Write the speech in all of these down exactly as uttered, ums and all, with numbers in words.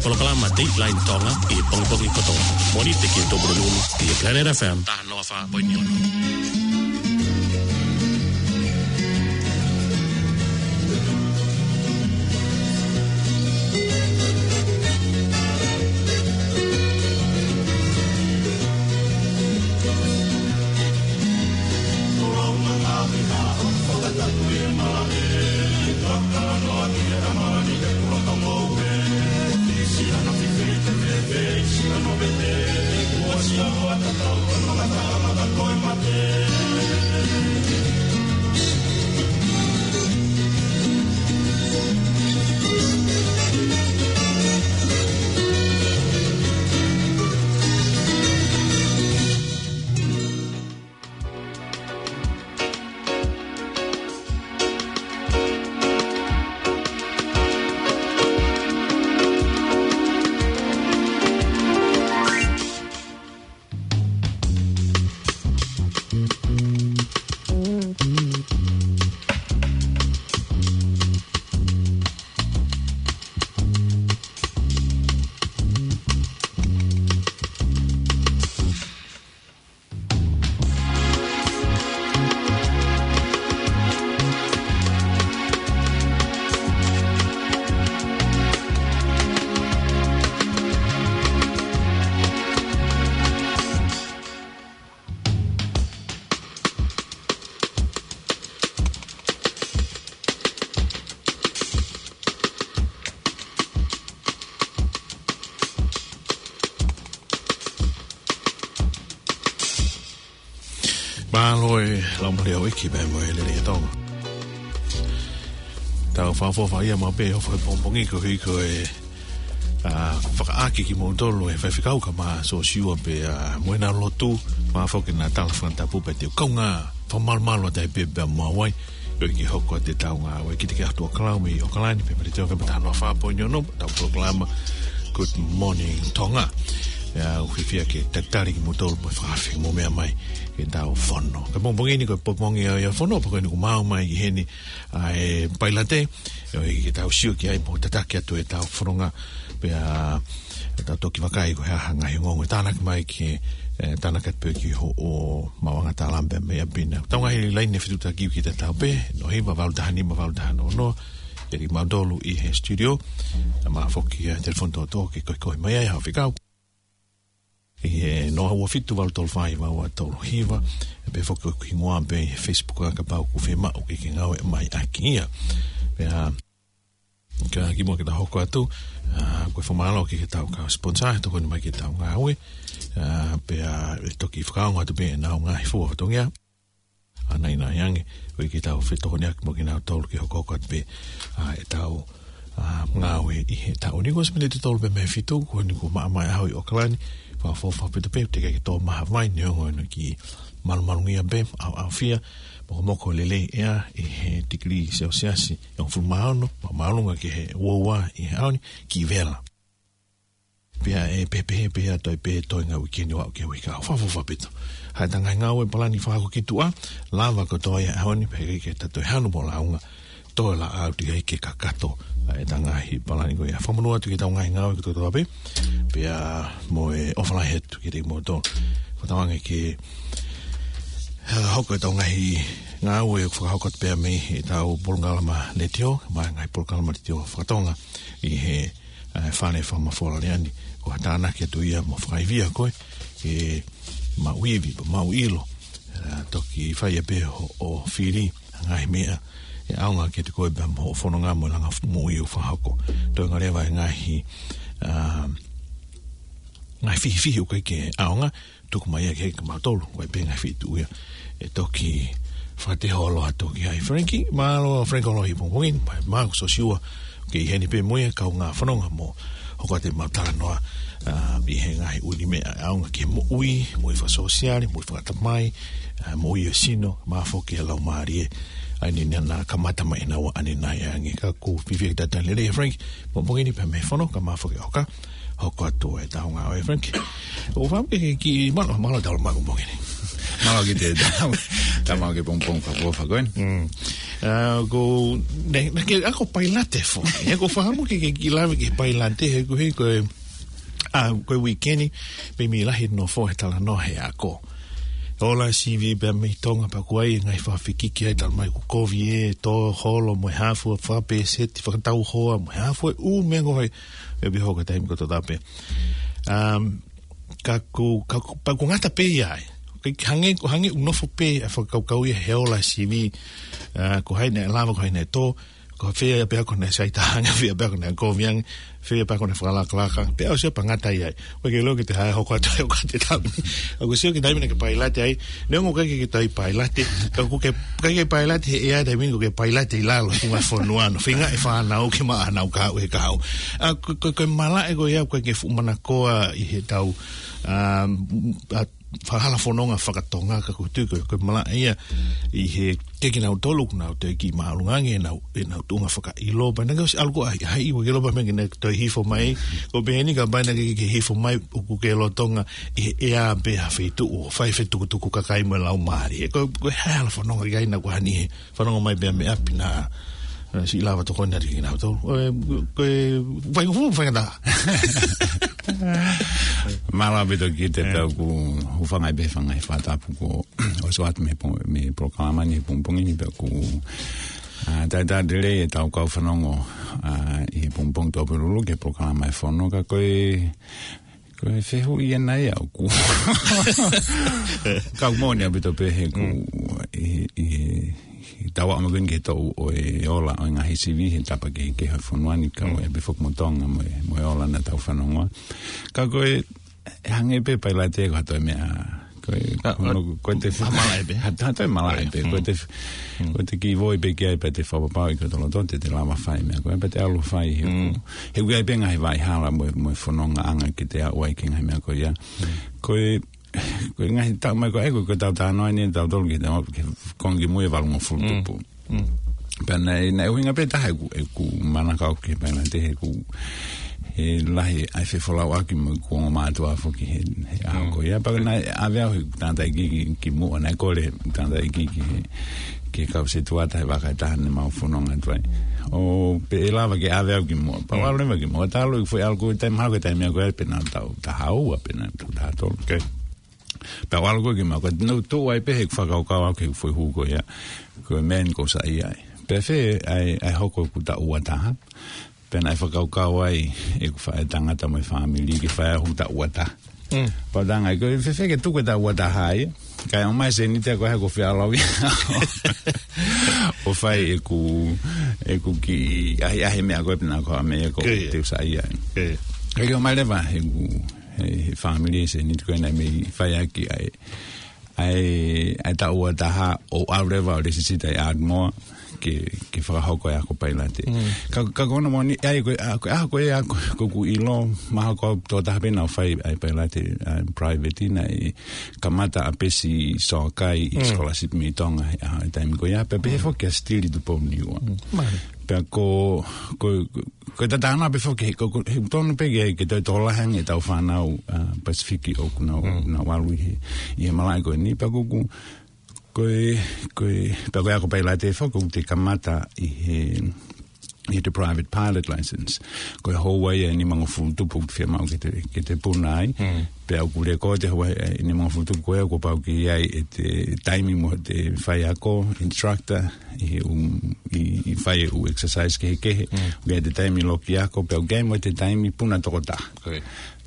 Polokalama Dateline Tonga ʻi he pongipongi kotoa. Mōnite ki he Tupulupulu ʻi he Planet F M. Taha noa fā poini ono. Mālō e laumālie ʻo e ʻEiki pea mo e lelei ʻa Tonga. Tau fakaʻofoʻofa ia maʻu pē ʻi he pongipongi ko ē, ko e, ā, fakaʻaki kimoutolu ʻe he faifekau kae ʻumaʻā Siosiua pea mo ʻena lotu, pea foki ʻena tala fakatapu pea te u kaungā fakamalumalu atu ai pē pea mo au ai, koeʻuhi ke hoko atu ʻetau ngāue. Kiate kimoutolu ʻoku ʻi ʻAokalani, pea mo Letiō F M taha noa fā poini ono, ʻetau polokalama Good Morning Tonga. Pea ʻoku ou fiefia ke talitali kimoutolu mo fakafeʻiloaki mo meʻa mai ki heʻetau fono. Ka pongipongi ni ko e pongipongi ia ʻo e fono, pea ko eni kuo mau ō mai ki heni ʻa e pailate, koeʻuhi ke tau sio ki ai mo tataki atu ʻetau fononga. Pea tau toki vakai ko e hā ha ngaahi ongoongo ʻe tānaki mai ki, ē, tānaki atu pē ki hoʻo maʻuʻanga tālama pea mei ʻapi na. Tau ngaahi laine fetuʻutaki ʻoku ʻikai ke tau pehē, noa hiva valu taha nima valu taha noa noa, kiate kimautolu ʻi he studio, pea mo e foki ʻa e telefoni tōtō ke koekoe mai ai haʻo fekau. ʻI he noa ua fitu valu tolu fā hiva ua tolu hiva, pea foki ko e hingoa pē ʻi he Facebook ʻa kapau ʻoku fiemaʻu ke ke ngāueʻaki ia. Pea, ā, ka kimuʻa ke ta hoko atu, ā, ko e fakamālō ki heʻetau kau sponsor, ʻe tokoni mai ki heʻetau ngāue, ā, pea ʻe toki fakaongo atu pē ʻenau ngaahi fua fatongia. ʻA ia naʻa nau ʻi ai ange, koeʻuhi ke tau fetokoniʻaki mo kinautolu ke hokohoko atu pē, ā, ʻetau, ā, ngāue ʻi he taʻu ni. Ko e miniti tolu pē mei he fitu, ko eni kuo maʻamaʻa e ʻaho ʻi ʻAokalani, fakaʻofoʻofa ʻaupito pē, teʻeki ke tō mai ha vai, neongo ʻena kiʻi malumalungia pē, ʻaoʻaofia, mokomoko lelei ʻea ʻi he tikilī selesiasi ʻe hongofulu mā ono, māʻolunga ki he uaua ʻi he ʻaho ni, kiʻi vela. Pea ʻe pehē pē ʻa e toe pē toenga uike ni ʻo aʻu ki he uike kahaʻu. Fakaʻofoʻofa ʻaupito. Hā ʻeta ngaahi ngāue, palani, fakahoko ki tuʻa, lava kotoa ia he ʻaho ni, pea ʻikai ke ta toe hanu mo lāunga, toe lava atu ia ke kakato ʻa ʻeta ngaahi palani ko ia. Fakamonū atu ki heʻetau ngaahi ngāue kotoa pē, pea mo e ʻofa lahi atu kiate kimoutolu. Fakatauange ke, ā, hoko ʻetau ngaahi ngāue ʻoku fakahoko atu pē mei heʻetau polokalama letiō, mo e ngaahi polokalama letiō fakatonga ʻi he ʻa e fale fakamafola lelei ni, ko ha tānaki atu ia mo fakaivia koe ke maʻu ivi, mo maʻu ʻilo, ā, toki fai ai pē hoʻo fili ʻa e ngaahi meʻa ʻe ʻaonga kiate koe pea mo hoʻo fononga mo e langa moʻui ʻoku fakahoko. Toenga leva e ngaahi, ā, ngaahi fihifihi ʻoku ʻikai ke ʻaonga, tuku mai ia ke kimautolu, ko e pē ngaahi feituʻu ia ʻe toki fakateho ʻo ʻalu atu ki ai. Frankie, mālō Frankie ʻo ʻalu ʻi he pongipongi ni, pea mo Siosiua, ʻoku ʻi heni pē mo ia, kaungā fononga mo hoko atu ʻemau talanoa, ā, ʻi he ngaahi ʻū meʻa ʻaonga ki he moʻui, moʻui fakasōsiale, moʻui fakatamai, ā, moʻui ʻo e sino, mo e foki ʻa e laumālie. ʻA ia naʻa na kamata mai ʻenau ʻanenai ange. Ka ʻoku ou fiefia ke talitali lelei ʻa Frankie, pongipongi ni pea mei he fono, kae ʻumaʻā foki ʻa Oka, hoko atu ʻetau ngāue, Frankie. ʻOku ou fakaʻamu ke ke kiʻi mālō, mālō e tau lava pongipongi ni. Mālō kiate koe, tau, tau maʻu e pongipongi fakaʻofoʻofa ko eni. Mm. ʻA, ko, ne, ne ke, ʻa, ko pailate foki. ʻE, ko fakamu ke, ke, ke lave ki he pailate he ko he, ko e, ʻa, ko e uike ni, pea mei lahi nofo he talanoa he ako. Ola sivi pea mei Tonga pea ko e ngaahi fakafekiki ai talu mai ko e kovi ʻe tō holo mo e hafu fakapēseti fakatau hoa mo e hafu e ʻū meʻa ko hai. ʻE pē hoko taimi ko tō tape. Um, ka ko, ka ko, pea ko e ngata pē ia ai. Ke hangē, ko e hangē ʻoku nofo pē ʻa e fakakaukau ia he ola sivi, ʻa, ko hai naʻe lava, ko hai naʻe tō, ko fē pē ko naʻe sai taha ange, fē pē ko naʻe kovi ange, fē pē ko naʻe fakalakalaka, pea ʻosi ia pea ngata ia ai. ʻOku ʻikai ke lava ke te hā hoko atu ai ʻo ka te tau. ʻOku sio ki he taimi naʻe ke pailate ai, neongo ʻikai ke, ke toe pailate, ka ʻoku ke, ʻikai ke pailate he ʻea taimi ni ʻoku ke pailate ʻi lalo, ki he fonua, no feinga e fānau ke maʻa ʻenau kahaʻu he kahaʻu. ʻA, ko, ko, ko e malaʻe ko ia, ʻoku ʻikai ke fuʻu manakoa ʻi heʻetau, ʻa, ʻa, fakahala fononga fakatonga ka ʻoku ou tui ko e, ko e malaʻe ia ʻi he ke kinautolu ʻoku nau toe kiʻi māʻolunga ange ʻenau, ʻenau tuʻunga fakaʻilo. Pea naʻe ʻosi ʻalu ko ē ʻa e, ʻa e, ʻikai ke lava pē ke nau toe hifo mai. Ko e pehē ni kapau naʻe ke, ke hifo mai ʻoku ke lolotonga ʻi he ʻea pē ha feituʻu ʻo fai fetukutuku kakai mo e laumālie. Ko, ko e hala fononga ʻikai na ko hani he fanongo mai pea mei ʻapi na, na si lava tokoni atu kinautolu. Ko e, ko e, fai, fai, fai ngata. Mālō ʻaupito Kite, pea ʻoku ou hūfanga pē he ngaahi fakatapu kuo ʻosi ʻoatu mei he po-, mei he polokalama ni he pongipongi ni pea ʻoku, ʻa, talitali lelei ʻetau kau fanongo, ʻa, ʻi he pongipongi Tuʻapulelulu ki he polokalama e Fono ka ko e, ko e fehuʻi ʻena ia ʻoku. Ka ʻoku moʻoni ʻaupito pē he ʻoku, ʻi, ʻi, ʻi he tau aʻu mai ko eni ki he toʻu ʻo e ola ʻo e ngaahi sivi he tapa kehekehe ʻo e fonua ni ka ʻoku ʻi ai pē foki mo Tonga mo e, mo e ola naʻa tau fanongoa. Ka ko e, ʻe hangē pē pailate ko ha toe meʻa, ko e, ko e te, ha malaʻe pē. Ha, ha toe malaʻe pē. Ko e te, ko e te kiʻi voi pē ki ai pea te fakapapauʻi ko e toloto te te lava fai meʻa ko ē, pea te ʻalu fai he ʻoku, he ʻoku ʻi ai pē ngaahi vaʻa hala mo, mo e fononga anga ke te aʻu ai ki he ngaahi meʻa ko ia. Ko e, ko e ngaahi taʻu mai ko ē, ko, ko e tau talanoa ni, tau tolu ki he, ki he konga kimui e valungofulu tupu. Pea naʻe, naʻe ʻuhinga pē taha ʻeku, ʻeku manako ki he pailate he ʻoku, he lahi ʻa e fefolauʻaki mo ʻeku ongo mātuʻa foki he, he ʻaho ko ia. Pea naʻe ʻave au he tangataʻeiki ki, ki muʻa naʻe kole tangataʻeiki ki he, ki he kau setuata he vaka ʻe taha naʻa mau fononga atu ai. ʻO pehē ʻe lava ke ʻave au ki muʻa. Pea u ʻalu leva ki muʻa. Talu ʻeku foʻi ʻalu ko e taimi, mahalo ko e taimi ko ē pē naʻa tau taha ua, pē naʻa tau taha tolu. Pea u ʻalu ko ē ki muʻa, ko e nau tuʻu ai pē he fakakaukau au ki he foʻi hū ko ia, ko e meʻa ni ʻoku ou saiʻia ai. Pea fē ai, ai hoko ʻeku taʻu ua taha. Pea naʻe fakakaukau ai ʻeku faʻē tangata mo e fāmili ke fai ʻeku taʻu ua taha. Pea u talaange, ko e fēfē ke tuku e taʻu ua taha ai. Kae ʻomai seniti ko ē ʻoku ou fie ʻalu au ia ʻo fai ʻeku, ʻeku kiʻi ʻahiʻahi meʻa ko ē pē naʻa ko ha meʻa ko ē te u saiʻia ai. Kae ʻomai leva ʻeku he, he fāmili e seniti ko ē naʻe mei fai ʻaki ʻa e, ʻa e, ʻa e taʻu ua taha ʻo ʻalu leva ʻo lēsisita ʻi Ardmore ke, ke fakahoko e ako pailate. Ka, ka ko hono moʻoni, ʻa ia ko e, ʻa, ko e, ʻa, ko e, ʻa, ko, ko ʻeku ʻilo, mahalo ko au tokotaha pē naʻa ku fai ʻa e pailate, ʻa e private naʻe kamata ʻa Pesi Soakai ʻi scholarship mei Tonga, ʻa e taimi ko ia, pea pehē foki ʻa Stili Tupou Niua. Pea ko, ko, ko, ko e tatau pē foki, he, ko, ko, he tonu pē ke, ke toe tokolahi ange ʻetau fānau, ʻa, Pasifiki ʻoku nau, nau ʻalu ʻi he, ʻi he malaʻe ko eni, pea ko, ko, ko e, ko e, pea ko e ako pailate foki, ʻoku te kamata ʻi he, ʻi he private pilot license. Ko e houa ia ʻe nimangofulu tupu ʻoku te fiemaʻu ke te, ke te puna ai. Pea ʻoku lēkooti e houa ʻe nimangofulu tupu ko ē kuo pau ke ʻi ai ʻete taimi mo ʻete faiako, instructor, ʻi he ʻū, ʻi, ʻi fai e ʻū exercise kehekehe. ʻOku ʻi ai ʻete taimi loki ako, pea ʻoku ʻi ai mo ʻete taimi puna tokotaha.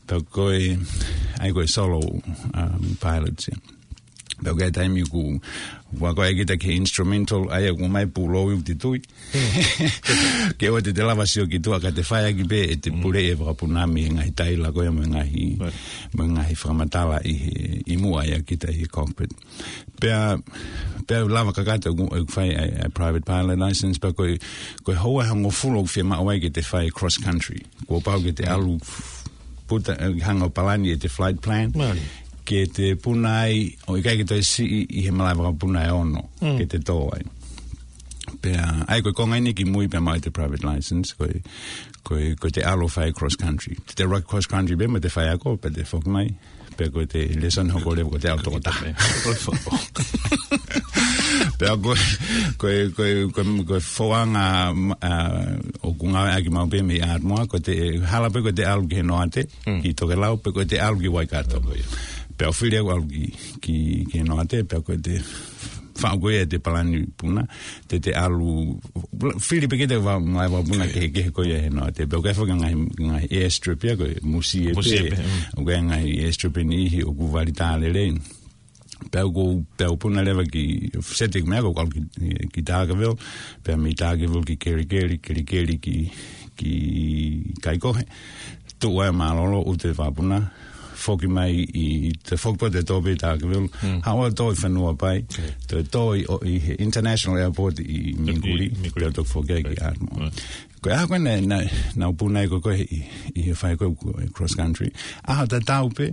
Pea ko e, ʻa ia ko e solo, um, pilot ia. Pea ʻoku ʻi ai e taimi ʻoku, ʻoku ako ai kita ki he instrumental, ʻa ia ʻoku ʻomai pulou ʻi ʻoku te tui. Ke ʻoua te te lava sio ki tuʻa ka te fai ʻaki pē ʻete pule e vakapuna mei he ngaahi taila ko ia mo e ngaahi, mo e ngaahi fakamatala ʻi he, ʻi muʻa ia kita ʻi he cockpit. Pea, pea lava kakato ʻeku, ʻeku fai ʻa e, ʻa e private pilot license pea ko e, ko e houa ʻe hongofulu ʻoku fiemaʻu ai ke te fai cross country. Kuo pau ke te ʻalu puta, ʻe, hanga ʻo palani ʻete flight plan. Ke te puna ai, ʻo ʻikai ke toe siʻi ʻi he malaʻe vakapuna ʻe ono, ke te tō ai. Pea, ʻa ia ko e konga eni kimui pea maʻu ʻete private license, ko e, ko e, ko ʻete ʻalu ʻo fai cross country. Te te ʻuluaki cross country pē mo ʻete faiako, pea te foki mai. Pea ko ʻete lēsoni hoko leva ko ʻete ʻalu tokotaha. Pea ko e, ko e, ko e, ko e, ko e foʻanga, ʻa, ʻoku ngāueʻaki maʻu pē mei Ardmore, ko ʻete hala pē ko ʻete ʻalu ki he Noate, ki Tokelau, pe ko ʻete ʻalu ki Waikato. Pea ʻoku fili ʻeku ʻalu ki, ki, ki he Noate, pea ko ʻete faʻu ko ia ʻete palani puna, te te ʻalu, fili pē kita ʻa e vā, ngaahi vā puna kehekehe ko ia he Noate. Pea ʻoku ʻi ai foki ngaahi, ngaahi airstrip ia ko e Musie pē. Musie pē, mm. ʻOku ʻi ai ngaahi airstrip ʻe niʻihi ʻoku vali tā lelei. Pea ʻoku, pea ʻoku puna leva ki, seti meʻa ko ʻeku ʻalu ki, ki Dargaville, pea mei Dargaville ki Kerikeri, Kerikeri ki, ki Kaikohe. Tuʻu ai mālōlō, ʻoatu e vā puna, foki mai ʻi, ʻi te foki pē te tō pē Dargaville, haʻu ʻo tō ʻi Whenuapai, te tō ʻi, ʻo, ʻi he International Airport ʻi Minguli, Minguli. Pea toki foki ai ki Ardmore. Ko e ʻaho ko ē naʻe, naʻe, naʻe puna ai ko ē ʻi, ʻi he fai ko ē cross country. ʻAho tatau pē,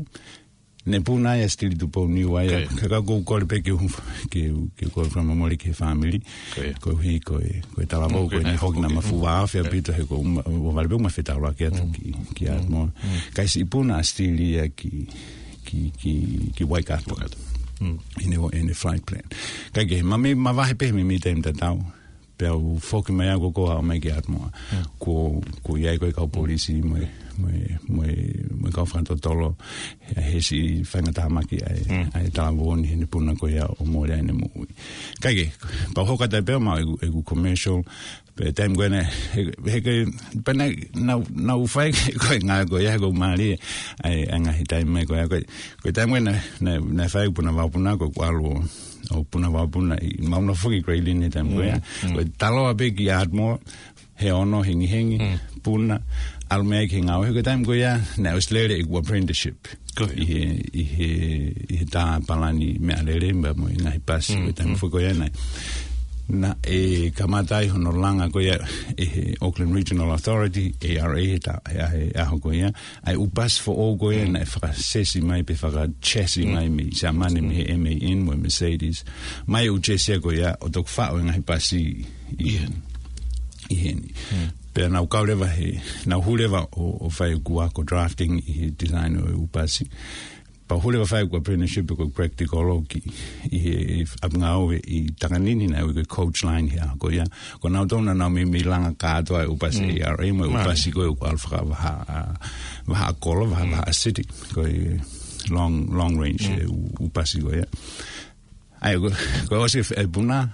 ne puna ai ʻa Stili Tupou Niua ia. Ka, ka ʻoku ou kole pē ke u, ke u, ke u kole fakamāmole ki he fāmili. Koeʻuhi ko e, ko e talavou ko eni hoki naʻa ma fuʻu vāofi ʻaupito he ko ʻuma, ʻo vale pē ʻuma fetaulaki atu ki, ki Ardmore. Ka ʻi siʻi puna ʻa Stili ia ki, ki, ki, ki Waikato. ʻI heʻene, ʻene flight plan. Ka ke, ma mei, ma vahe pē mei, mei taimi tatau. Pea u foki mai au ko ē ʻo aʻu mai ki Ardmore. Ko, ko ia ko e kau polisi mo e, mo e, mo e, mo e kau fakatotolo. He, he siʻi faingataʻa maki ai, ai talavou ni heʻene puna ko ia ʻo mole ai ʻene moʻui. Ka ke, pea u hoko atu pē ʻo maʻu ʻeku, ʻeku commercial, pea taimi ko ē naʻe, he, he ko e, pea naʻe, naʻa, naʻa ku fai ko e ngāue ko ia, he ko e mālie, ʻa e, ʻa e ngaahi taimi mai ko ia, ko e, ko e taimi ko ē naʻe, naʻe, naʻe fai puna vā puna ko ʻeku ʻalu ʻo puna vā puna ʻi, ma ʻuna foki Grayling he taimi ko ia. Ko e taloa pē ki Ardmore, he ono hengihengi, puna, ʻalu mei ai ki he ngāue, he ko e taimi ko ia, naʻe ʻosi lele ʻeku apprenticeship. ʻI he, ʻi he, ʻi he tā palani meʻalele, pea mo e ngaahi pasi, ko e taimi foki ko ia naʻe. Naʻe kamata ai hono langa ko ia ʻe he Auckland Regional Authority, A R A, he tā, he, he ʻaho ko ia, ʻa e ʻū pasi foʻou ko ia naʻe fakasesi mai pe fakachassis mai mei Siamane mei he M A N mo e Mercedes. Mai ʻū chassis ko ia ʻo toki faʻu e ngaahi pasi ʻi, ʻi heni. Pea naʻa ku kau leva he, naʻa ku hū leva ʻo, ʻo fai ʻeku ako drafting ʻi he design ʻo e ʻū pasi. Pea u hū leva ʻo fai ʻeku apprenticeship ko e practical ʻo ki, ʻi he, ʻi ʻapi ngāue ʻi Takanini naʻe ui ko e coach line he ʻaho ko ia. Ko nautolu naʻa nau meimei langa kātoa e ʻū pasi A R A mo e ʻū pasi ko ē ʻoku ʻalu fakavahaʻa, vahaʻa kolo, vahaʻa, vahaʻa city. Ko e long, long range e ʻū, ʻū pasi ko ia. ʻA ia, ko, ko e ʻosi e puna,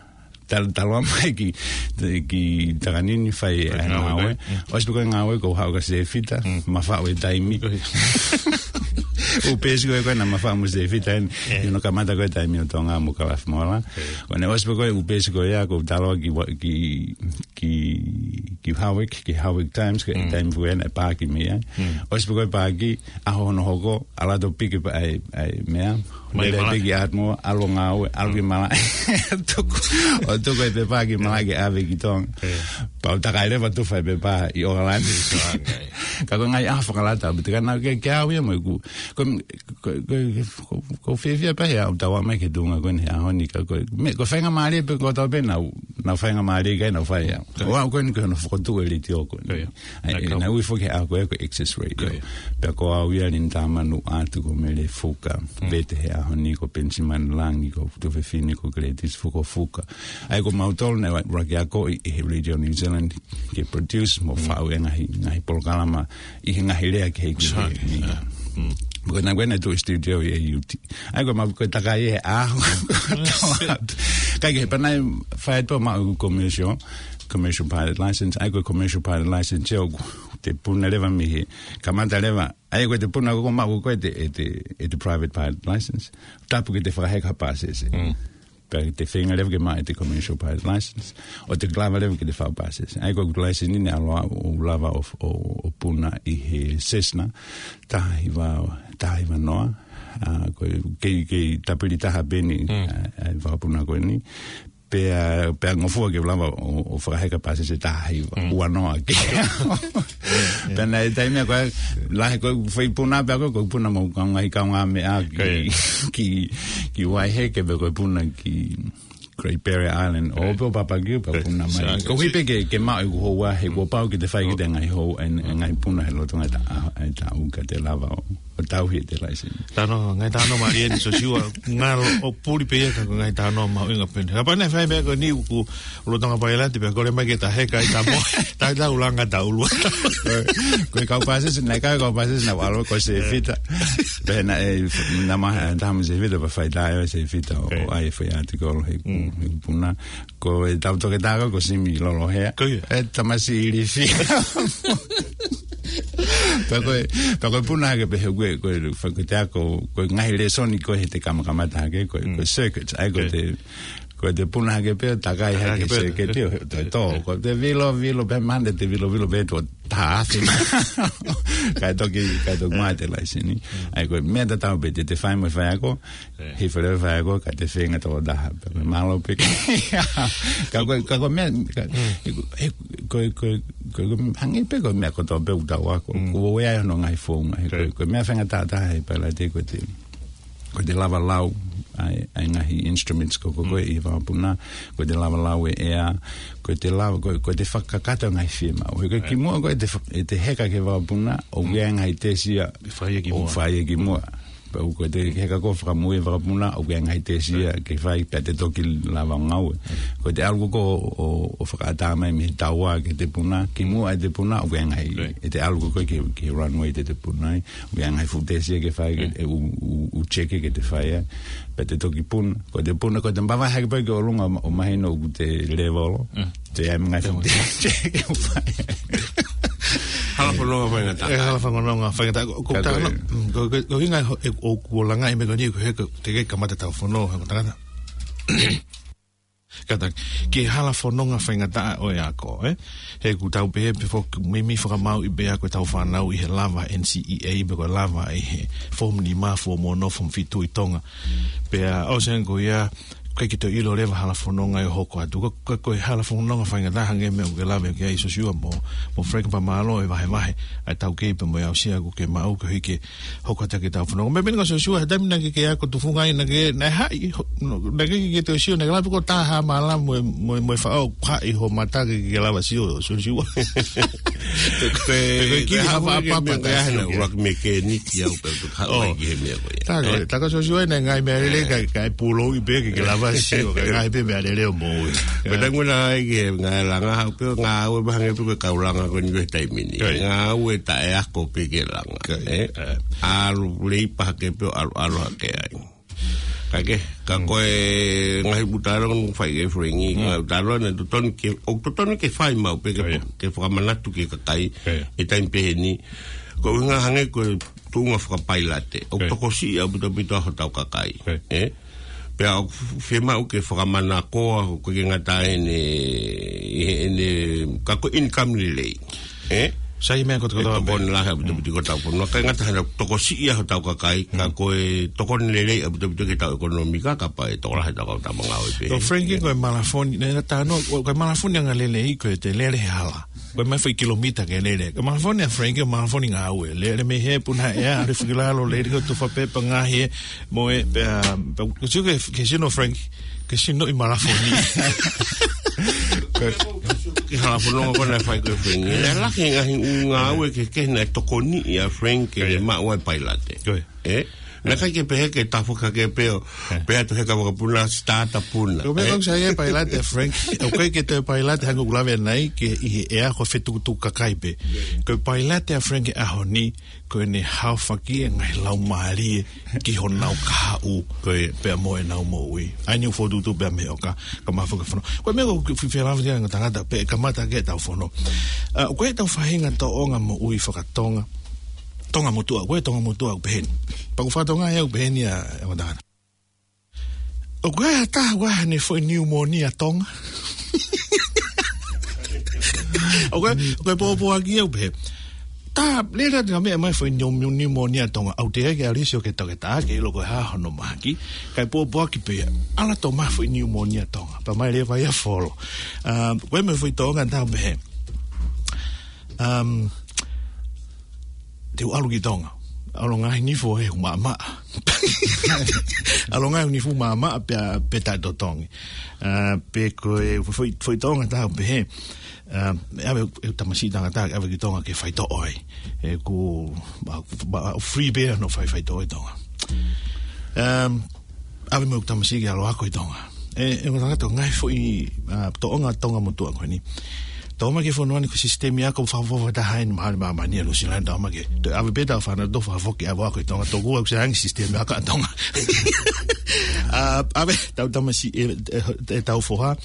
tal-, taloa mai ki, ki Takanini fai e ngāue. ʻOsi pē ko e ngāue ko e haʻu kia Sefita, ma faʻu e taimi. ʻŪ peesi ko ē ko ē naʻa ma faʻu mo Sefita, ʻi hono kamata ko ē taimi ʻo Tonga mo Kalafi Moala. Ko ʻene ʻosi pē ko ē ʻū peesi ko ia, ko u taloa ki wa-, ki, ki, ki Hawick, ki Hawick Times, ko e taimi ko ē naʻe paaki mei ai. ʻOsi pē ko e paaki, ʻaho hono hoko, ʻalu atu ʻo piki pē ʻa e, ʻa e meʻa. Lele pē ki Ardmore, ʻalu ʻo ngāue, ʻalu ki malaʻe. Tuku, ʻo tuku e pepa ki malaʻe ke ʻave ki Tonga. Pea u takai leva ʻo tufa e pepa ʻi ʻOkalani. Ka ko e ngaahi ʻaho fakalata, pea te kana ke, ke au ia mo ʻeku. Ko, ko, ko, ko, ko fiefia pē he ʻaʻaku tau ō mai ki he tuʻunga ko eni he ʻaho ni ka ko e, me, ko e faingamālie pē ko ē tau pē naʻa ku, naʻa ku faingamālie ki ai naʻa ku fai au. ʻO aʻu ko eni ko hono fokotuʻu e letiō ko eni. ʻA ia, naʻe ui foki he ʻaho ko ē ko e Access Radio. Pea ko au ia Linda Manu atu ko Mele Fuka. Vete he ʻaho ni ko Penisimani Langi, ko Tuofefine ko Gladys Fukofuka. ʻA ia ko mautolu naʻe ʻuluaki akoʻi ʻe he Radio New Zealand ke produce mo faʻu e ngaahi, ngaahi polokalama ʻi he ngaahi lea kehekehe. Ko e taimi ko ē naʻe tuʻu e studio ʻi A U T. ʻA ia ko e ma-, ko e takai e ʻaho. Ka ke he panai fai atu maʻu commercial, commercial pilot license. ʻA ia ko e commercial pilot license ia ʻoku te puna leva mei he kamata leva. ʻA ia ko e te puna ko ē maʻu ko ē te, e te, e te private pilot license. Tapu ke te fakaheka pāsese. Pea te feinga leva ke maʻu e te commercial pilot license. ʻO te lava leva ke te faʻu pāsese. ʻA ia ko e license ni naʻe ʻalu au ʻo lava ʻo, ʻo, ʻo puna ʻi he Cessna. Taha hiva, taha hiva noa. ʻA, ko e kei, kei tapili taha pē eni, ʻa, ʻa e vā puna ko eni. Pea, pea ngofua ke lava ʻo, ʻo fakaheka pāsese taha hiva. Ua noa ke. Pea naʻe taimi ko ē, lahi ko e fai puna pea ko e, ko e puna mo ka ngaahi kaungāmeʻa ki, ki, ki Waiheke pea ko e puna ki Great Barrier Island. ʻO pē ʻo papakiu pea puna mai. Koeʻuhi pē ke, ke maʻu ʻeku houa he kuo pau ke te fai ki te ngaahi hou, e, e ngaahi puna he lolotonga e ta-, a, e taʻu ka te lava ʻo ʻo tauhi ʻete laiseni. Talanoa, ngaahi talanoa mālie eni Sosiua, ngalo ʻo puli pē ia ka ko e ngaahi talanoa mahuʻinga pē eni. Kapau naʻe fai meʻa ko eni ʻoku lolotonga pailate pē, kole mai ke ta heka ʻi Tamohe, ta, ta ulanga ta ulua. Ko e kau pāsese, naʻe kau kau pāsese naʻa ku ʻalu ko Sefita. Pea naʻe, naʻa ma, taha mo Sefita, pea fai tā ʻe Sefita ʻo, ʻo ʻai fai ʻatikolo he, he puna. Ko e tau toketā ko, ko Simi Lolohea. Ko ia. E tamasiʻi ilifi. Pea ko e, pea ko e puna hake pē he ko e, ko e, ko e te ako, ko e ngaahi lēsoni ko e he te kamakamata hake, ko e, ko e circuit. ʻAi ko e te, ko e te puna hake pē, takai hake pē, circuit io, he, to, to, ko e te vilo, vilo, pē mande te vilo, vilo, pē to, taha afe. Kae toki, kae toki maʻu ʻete laiseni. ʻAi ko e meʻa tatau pē te, te fai mo e faiako, hifo leva faiako, ka te feinga toko taha. Pea mālō pē. Ka ko, ka ko meʻa, ka, he, he, ko, ko, ko, ko, hangē pē ko e meʻa kotoa pē ʻoku tau ako. Kuo ʻi ai hono ngaahi founga. He ko, ko e meʻa faingataʻa taha he pailate ko e te, ko e te lava lau ʻa e, ʻa e ngaahi instruments ko, ko, ko e ʻi he vakapuna, ko e te lava lau e ʻea, ko e te lava, ko, ko e te fakakakato e ngaahi fiemaʻu. He ko e kimuʻa ko e te fa-, ʻete heka ki he vakapuna, ʻoku ʻi ai e ngaahi tesi ia, ʻoku fai ia kimuʻa. Pea ko e te heka ko e fakamui e vakapuna, ʻoku ʻi ai e ngaahi tesi ia ke fai pea te toki lava ʻo ngāue. Ko e te ʻalu ko ē ʻo, ʻo, ʻo fakaʻatā mai mei he taua ki he te puna, kimuʻa e te puna, ʻoku ʻi ai e ngaahi, ʻete ʻalu ko ē ki, ki he runway te te puna ai, ʻoku ʻi ai e ngaahi fuʻu tesi ia ke fai, ke, ʻe ʻū, ʻū, ʻū cheke ke te fai ai. Pea te toki puna, ko e te puna, ko e te mavahe hake pē ki ʻolunga ʻo, ʻo mahino ʻoku te levolo. Te ai ngaahi fuʻu tesi ia ke fai. Hala fononga faingataʻa. E hala fononga faingataʻa. Ko, ko, ko, ko, ko hinga e, ʻoku langaʻi meʻa ko eni, ko e he, ko e te ke kamata tau fono, he ko tangata. Kata, ki he hala fononga faingataʻa ʻo e ako, ē? He ʻoku tau pehē pē foki, meimei fakamāuʻi pē ʻa ko e tau fānau ʻi he lava N C E A, pe ko e lava ʻi he form nima, form ono, form fitu ʻi Tonga. Pea, ʻosi ange ko ia, ʻikai ke toe ʻilo leva hala fononga ʻe hoko atu. Ko, ko, ko e hala fononga faingataʻa hangē meʻa ʻoku ke lave ki ai Sosiua mo, mo Frank pea mālō e vahevahe ʻa e taukei pea mo e aʻusia ʻoku ke maʻu koeʻuhi ke hoko atu ki he tau fononga. Meimei ko Sosiua, he taimi naʻa ke, ke ako tufunga ai naʻa ke, naʻe haʻi, ho-, no, naʻa ke, ke toe sio, naʻa ke lava ko e taha mālama mo, mo, mo e faʻo haʻi ho mata ke, ke lava sio, Sosiua. Ko e, ko e kili ha faʻa papa ke meʻa sio ke. Ua ke mekeniki au pē ko haʻu ai ki he meʻa ko ia. Tā ko e, tā ko Sosiua naʻe ngaahi meʻa lelei ka, ka e pūlou ʻi pē ke, ke lava sio, ka ngaahi pē meʻa lelei ʻo moʻui. Pea tā nguna ai ke ngaahi langa haʻu pē, ngāue pē hangē pē ko e kau langa ko eni ko e taimi ni. Ngāue taʻe ako pē ke langa. ʻAlu lei pē hake pē ʻo ʻalu, ʻalu hake ai. Ka ke, ka ko e ngaahi ʻū talanoa naʻe fai ʻe Frank, ngaahi ʻū talanoa naʻe totonu ke, ʻoku totonu ke fai maʻu pē ke, ke fakamanatu ki he kakai ʻi he taimi pehē ni. Ko e ʻuhinga hangē ko e tuʻunga fakapailate. ʻOku tokosiʻi ʻaupito ʻaupito hotau kakai. Ē? Pea ʻoku fiemaʻu ke fakamanakoa, ʻoku ʻikai ke ngata ʻene, ʻene, ka ko e income lelei. Ē? Sai meʻa ko e tokoni lahi ʻaupito ʻaupito ki hotau fonua. ʻIkai ngata hano tokosiʻi hotau kakai, ka ko e tokoni lelei ʻaupito ʻaupito ki hotau ʻekonōmika, kapau ʻe tokolahi hotau kau tama ngāue pē. Ko Frank ko e malafoni, ne, ne tano, ko e malafoni anga lelei ko e te lele he hala. Ko e mai foʻi kilomita ke lele. Ko e malafoni ʻa Frank, ko e malafoni ngāue. Lele mei he puna ʻea, ʻalu hifo ki lalo, lele ko e tufa pepa ngaahi ē, mo e, pea, pea, ko e sio ke, ke sino Frank, ke sino ʻi malafoni. Ko e hala fononga ko ē naʻe fai ko ē Frank. Naʻe lahi e ngaahi ʻū ngāue kehekehe naʻe tokoniʻi ʻa Frank ke maʻu ai e pailate. Ko ia. Ē? Naʻe ʻikai ke pehē ke tafoki hake pē ʻo pehē atu he kau vakapuna, starter puna. Ko e meʻa ē? Ko e sai e pailate ʻa Frank. ʻOku ʻikai ke toe pailate hangē ʻoku lave ʻanenai ke ʻi he ʻea ko e fetukutuku kakai pē. Ko e pailate ʻa Frank he ʻaho ni, ko ʻene haofaki e ngaahi laumālie ki honau kahaʻu. Ko ia. Pea mo ʻenau moʻui. ʻAi ni u fotu tu pea mei ʻoka, ka mafoka fono. Ko e meʻa ko e fifela fia ngata ngata pē kamata ke tau fono. ʻA, ko e tau faʻahinga tōʻonga moʻui fakatonga. Tonga motuʻa, ko e Tonga motuʻa ʻoku pehē ni. Pea ʻoku fakatonga ia ʻoku pehē ni ʻa, ʻa e matangata. ʻOku ʻi ai ha taha ʻoku ʻi ai haʻane foʻi niumōnia tonga. ʻOku ʻi ai, ʻoku ʻi ai pōpoaki ia ʻoku pehē. Tā, lele atu ngaahi meʻa mai foʻi niu-, niu-, niumōnia tonga. ʻOku teʻeki ke ʻalu ʻo sio ki he toketā, ke ʻilo ko e hā hono mahaki. Kae pōpoaki pē ia. ʻAlu atu mai foʻi niumōnia tonga. Pea mai leva ia folo. ʻA, ko e meʻa foʻi tōʻonga tā ʻoku pehē. Um, te u ʻalu ki Tonga. ʻAlu ngaahi nifo ʻoku maʻamaʻa. ʻAlu ngaahi nifo maʻamaʻa pea, pea taʻetotongi. ʻA, pe ko e foʻi, foʻi Tonga tau pehē. ʻA, ʻave ʻeku tamasiʻi tangata, ʻave ki Tonga ke faitoʻo ai. ʻOku, ma, ma, free pē ʻa hono fai faitoʻo ʻi Tonga. Um, ʻave mo ʻeku tamasiʻi ke ʻalu ʻo ako ʻi Tonga. ʻE, ʻe, ʻoku ou tui ko e ngaahi foʻi, ʻa, Tonga, Tonga motuʻa ko eni. Tau mai ki he fonua ni ko e sisitemi ako fakafoʻou taha eni mahalo ʻi māmani ʻa Nuʻu Sila ni, tau mai ki. Toe ʻave pē ʻetau fānau ʻo toe fakafoki ʻo ako ʻi Tonga, tokua ʻoku sai ange sisitemi ako ʻa Tonga. ʻA, ʻave ʻetau tamasiʻi, ʻe, ʻe, ʻetau foha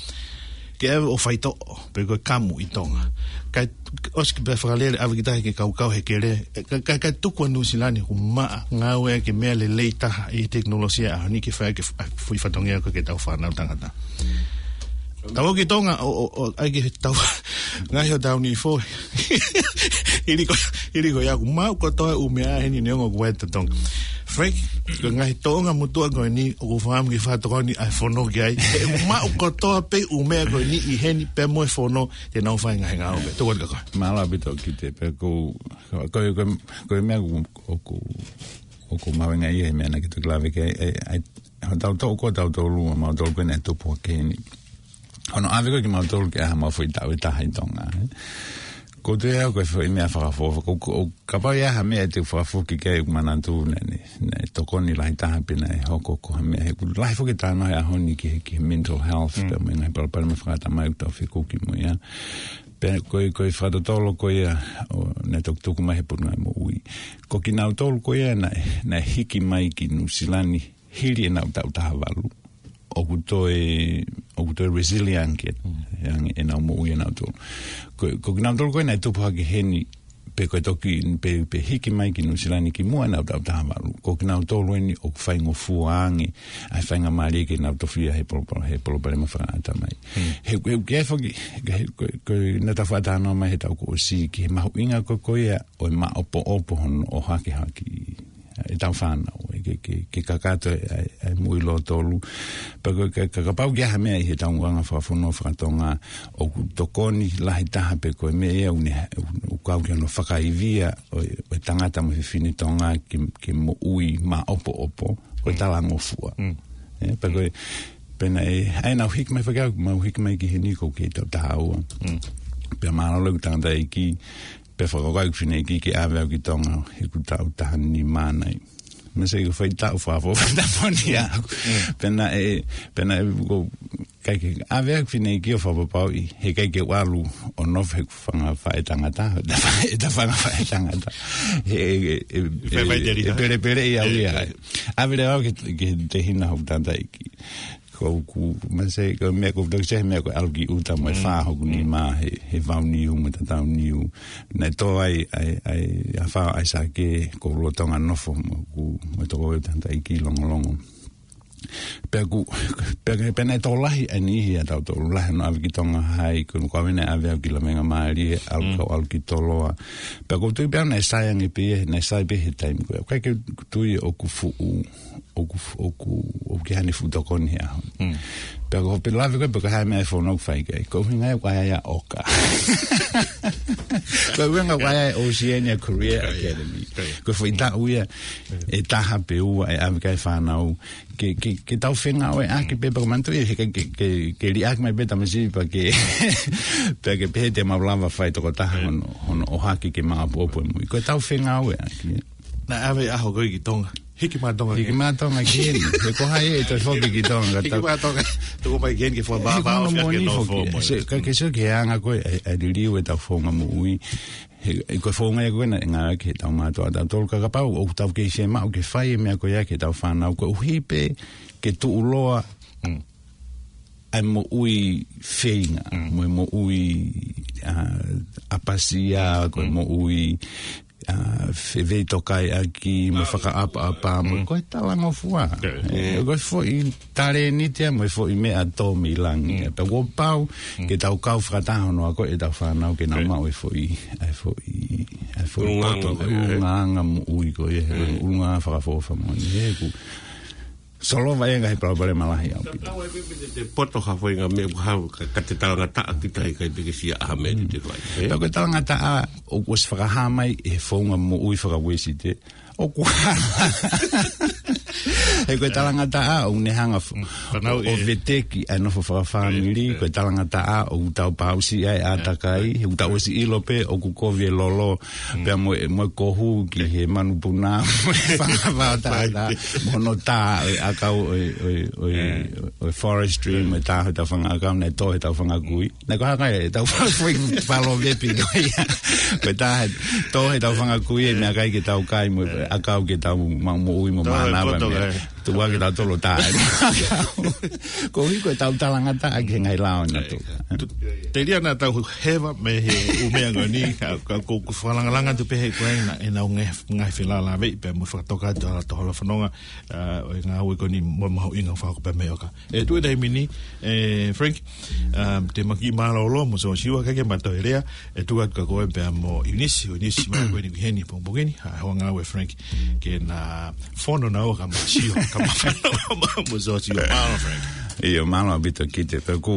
ke ʻave ʻo faitoʻo, pe ko e kamu ʻi Tonga. Kae ʻosi ke pea fakalele ʻave ki tahi ke kaukau he kele. ʻE, ka, ka, ka tuku ʻa Nuʻu Sila ni ʻoku maʻa, ngāueʻaki e meʻa lelei taha ʻi he tekinolosia ʻaho ni ke fai ʻaki e f-, ʻa, foʻi fatongia ko ē ki heʻetau fānau tangata. Tau ō ki Tonga, ʻo, ʻo, ʻo, ʻai ke tau, ngaahi hotau nifo. Hili ko, hili ko ia ʻoku maʻu kotoa e ʻū meʻa heni neongo ʻoku ʻi ai e totongi. Frank, ko e ngaahi Tonga motuʻa ko eni, ʻoku ou fakaʻamu ke fakatokoni ʻa e fono ki ai. ʻE maʻu kotoa pē ʻū meʻa ko eni ʻi heni pea mo e fono, te nau fai e ngaahi ngāue. Tokua ka koe. Mālō ʻaupito Kite, pea ko, ko, ko, ko e meʻa ʻoku, ʻoku, ʻoku mahuʻinga ia he meʻa naʻa ke toki lave ki ai, ʻe, ʻe, hotau toʻu ko tautolu, ʻa mautolu ko ē naʻe tupu hake heni. Hono ʻave ko ē kimautolu ke ʻai haʻamau foʻi taʻu ʻe taha ʻi Tonga, ē. Ko e toe au ko e foʻi meʻa fakafoʻou, ko, ko, kapau ʻe ʻi ai ha meʻa te u fakafoki ki ai ʻoku ou manatu naʻe, naʻe, naʻe tokoni lahi taha pe naʻe hoko ko ha meʻa he ʻoku lahi foki e talanoa he ʻaho ni ki he, ki he mental health, Mm. pea mo e ngaahi palopalema fakaʻatamai ʻoku tau fekuki mo ia. Pea ko e, ko e fakatotolo ko ia ʻo, naʻe toki tuku mai he Potungāue Moʻui. Ko kinautolu ko ia naʻe, naʻe hiki mai ki Nuʻu Sila ni hili ʻenau taʻu taha valu. ʻOku toe, ʻoku toe resilient ke, Mm. ʻe ange ʻenau moʻui ʻanautolu. Ko, ko kinautolu ko ē naʻe tupu hake heni, pe ko e toki, pe, pe hiki mai ki Nuʻu Sila ni kimuʻa ʻenau taʻu taha valu. Ko kinautolu eni ʻoku faingofua ange ʻa e faingamālie ke nau tofiʻa he polo-, he palopalema fakaʻatamai. Mm. He, he, ke foki, he, ko, ko, naʻa tau fakatalanoa mai he taʻu kuo ʻosi ki he mahuʻinga ko, ko ia ʻo e maʻopoʻopo hono ʻohake hake ʻetau fānau, ʻe ke, ke, ke kakato e, e, e moʻui lōtolu. Pea ko e, ka, ka, kapau ʻoku ʻi ai ha meʻa ʻi heʻetau anga fakafonua fakatonga, ʻoku tokoni lahi taha pe ko e meʻa ia ʻoku ne, ʻoku kau ki hono fakaivia ʻo, ʻo e tangata mo e fefine Tonga ke, ke moʻui maʻopoʻopo, ko e Mm. talangofua. Mm. ʻE, pea ko e, pea naʻe, ʻa ē naʻa ku hiki mai fakaʻau, mau hiki mai ki heni ʻoku ou kei taʻu taha ua. Mm. Pea mālōlō ʻeku tangataʻeiki, pea fakakaukau ʻeku fineʻeiki ke ʻave au ki Tonga, he ʻoku ou taʻu taha nima nai. Mese ʻoku ou fai taʻu fakafoʻou fakatamoni ʻaʻaku. Mm. Pea naʻe, pea naʻe ʻoku ou ʻikai ke ʻave au ʻeku fineʻeiki ʻo fakapapauʻi, he ʻikai ke u ʻalu ʻo nofo he ʻeku fanga faʻētangata, ʻeta fa-, ʻeta fanga faʻētangata. He, he, he, Fai, fai he, tēlita. he pelepeleʻi au ia. ʻE, ʻe. ʻAve leva au ki he, ki he tehina hoku tangataʻeiki. Ko ʻeku, mese, ko e meʻa ʻoku ou toki sio he meʻa ko e ʻalu ki ʻuta mo e Mm. fā hoku Mm. nima he, he vau niu mo e tatau niu. Naʻe tō ai, ai, ai, ʻa e fā ʻa ʻAisake, ʻoku ou lolotonga nofo mo ʻeku, mo e tokoua ʻeku tangataʻeiki Longolongo. Pea ʻoku, pea, pea naʻe tō lahi ʻa e niʻihi ʻatautolu lahi hono ʻave ki Tonga Hai, ko ʻeku ʻave naʻe ʻave au ki Lavengamālie, ʻalu Mm. kau ʻalu ki Toloa. Pea ʻoku ou tui pē au naʻe sai ange pē ia, naʻe sai pē he taimi ko ē. ʻOku ʻikai ke tui ʻoku fuʻu ʻoku, ʻoku, ʻoku ʻi ai haʻane fuʻu tokoni he ʻaho. Mm. Pea ko e pē lave ko ē, pe ko e hā e meʻa ʻe fonu ʻoku fai ki ai. Ko e ʻuhinga ia ʻoku ʻai ai ʻa ʻOka. Ko e ʻuhinga ʻoku ʻai ai ʻa e Oceania Career Ko ia. Academy. Ko ia. Ko e foʻi taʻu ia, Mm. ʻe taha pe ua ʻe ʻave ki ai e fānau. Ke, ke, ke tau fengāueʻaki pē, pea ko e manatu ia, he ke, ke, ke, ke liʻaki mai pē tamasiʻi pea ke, pea ke pehē te mau lava fai tokotaha Mm. hono, hono ʻohake ke maʻopoʻopo e moʻui. Ko ʻetau fengāueʻaki. Naʻe ʻave ʻaho ko ē ki Tonga. Hiki mai Tonga Hiki ke. mai Tonga ki heni. He ko hai ʻe toe foki ki Tonga ka Hiki tau. mai Tonga. Tuku mai ki heni ke fua He baba ko hono ofi ake moʻoni no foki. fo mo. Se, ka ke sio ki he anga ko ē, ʻa e, ʻa e liliu ʻetau founga moʻui. He, he ko e founga ia ko ē naʻe ngāueʻaki heʻetau mātuʻa ʻatautolu ka kapau, ʻoku tau kei fiemaʻu ke fai e meʻa ko ia ki heʻetau fānau koeʻuhi pē ke tuʻuloa Mm. ʻa e moʻui feinga, Mm. mo e moʻui, ʻa, ʻapasia, ko e Mm. moʻui, ʻa, feveitokaiʻaki, mo e fakaʻapaʻapa, mo Mm. ko e talangofua. Yeah. ʻE, ko e foʻi talēniti ia, mo e foʻi meʻa tō mei langi. Mm. Pea ʻoku pau, Mm. ke tau kau fakataha hono ako ʻetau fānau ke nau Yeah. maʻu e foʻi, ʻa e foʻi, ʻa e foʻi ʻulungaanga poto, ko ē, ʻulungaanga moʻui ko ē, Mm. ʻulungaanga fakafoʻou fakamoʻoni. He ʻoku, Solova ia e ngaahi palopalema lahi ʻaupito. Tatau ai pē pe te, te poto ha foʻi ngaahi meʻa ʻoku hau, ka, ka te talangataʻa kita he ʻikai te ke sio ha meʻa te te fai. Mm. Ē? Pea ko e talangataʻa, ʻoku ʻosi fakahā mai he founga moʻui faka-Uēsite, ʻOku hala. He ko e talangataʻa ʻoku ne hanga f-, ʻo veteki ʻa e nofo fakafāmili, ko e talangataʻa ʻoku tau pausiʻi ʻa e ʻātakai, he ʻoku tau ʻosi ʻilo pē ʻoku kovi e lolo, pea mo e, mo e kohu ki he manupuna, mo e fanga vaotaʻata, mo hono tā ʻo e ʻakau ʻo e, ʻo e, ʻo e, ʻo e forestry, mo e tā ʻo e tau fanga ʻakau, naʻe tō he tau fanga kui. Naʻe ko e hā e tau fanga kui, palovepi ko ia. Ko e tā he, tō he tau fanga kui, e meʻakai ke tau kai mo e ʻakau ke tau maʻu moʻui mo mānava mei ai. Tuʻa ke tau tolo tā. Ko hiko e tau talangataʻa ki he ngaahi lao na tu. Telia na tau heva mei he ʻū meʻa ko eni, ka, ka, ko, ko fakalāngilangi atu pē he ko e na, e nau nge, ngaahi felālāveʻi pē mo fakatoka atu ʻa e tō holo fononga, ʻa, ʻo e ngāue ko eni mo mahuʻinga fakako pē mei ʻoka. ʻE tuʻu e taimi ni, ʻe Frank, um, te maki mālōlō mo Sosiua ka ke mato e lea, ʻe tuʻu atu ka ko e pea mo Eunice, Eunice mai ko eni ki heni pongipongi ni, ha hoa ngāue Frank, ke na fono na o ka ma sio, ka ma fono mo Sosiua, mālō Frank. ʻIo, mālō ʻaupito Kite, pea ʻoku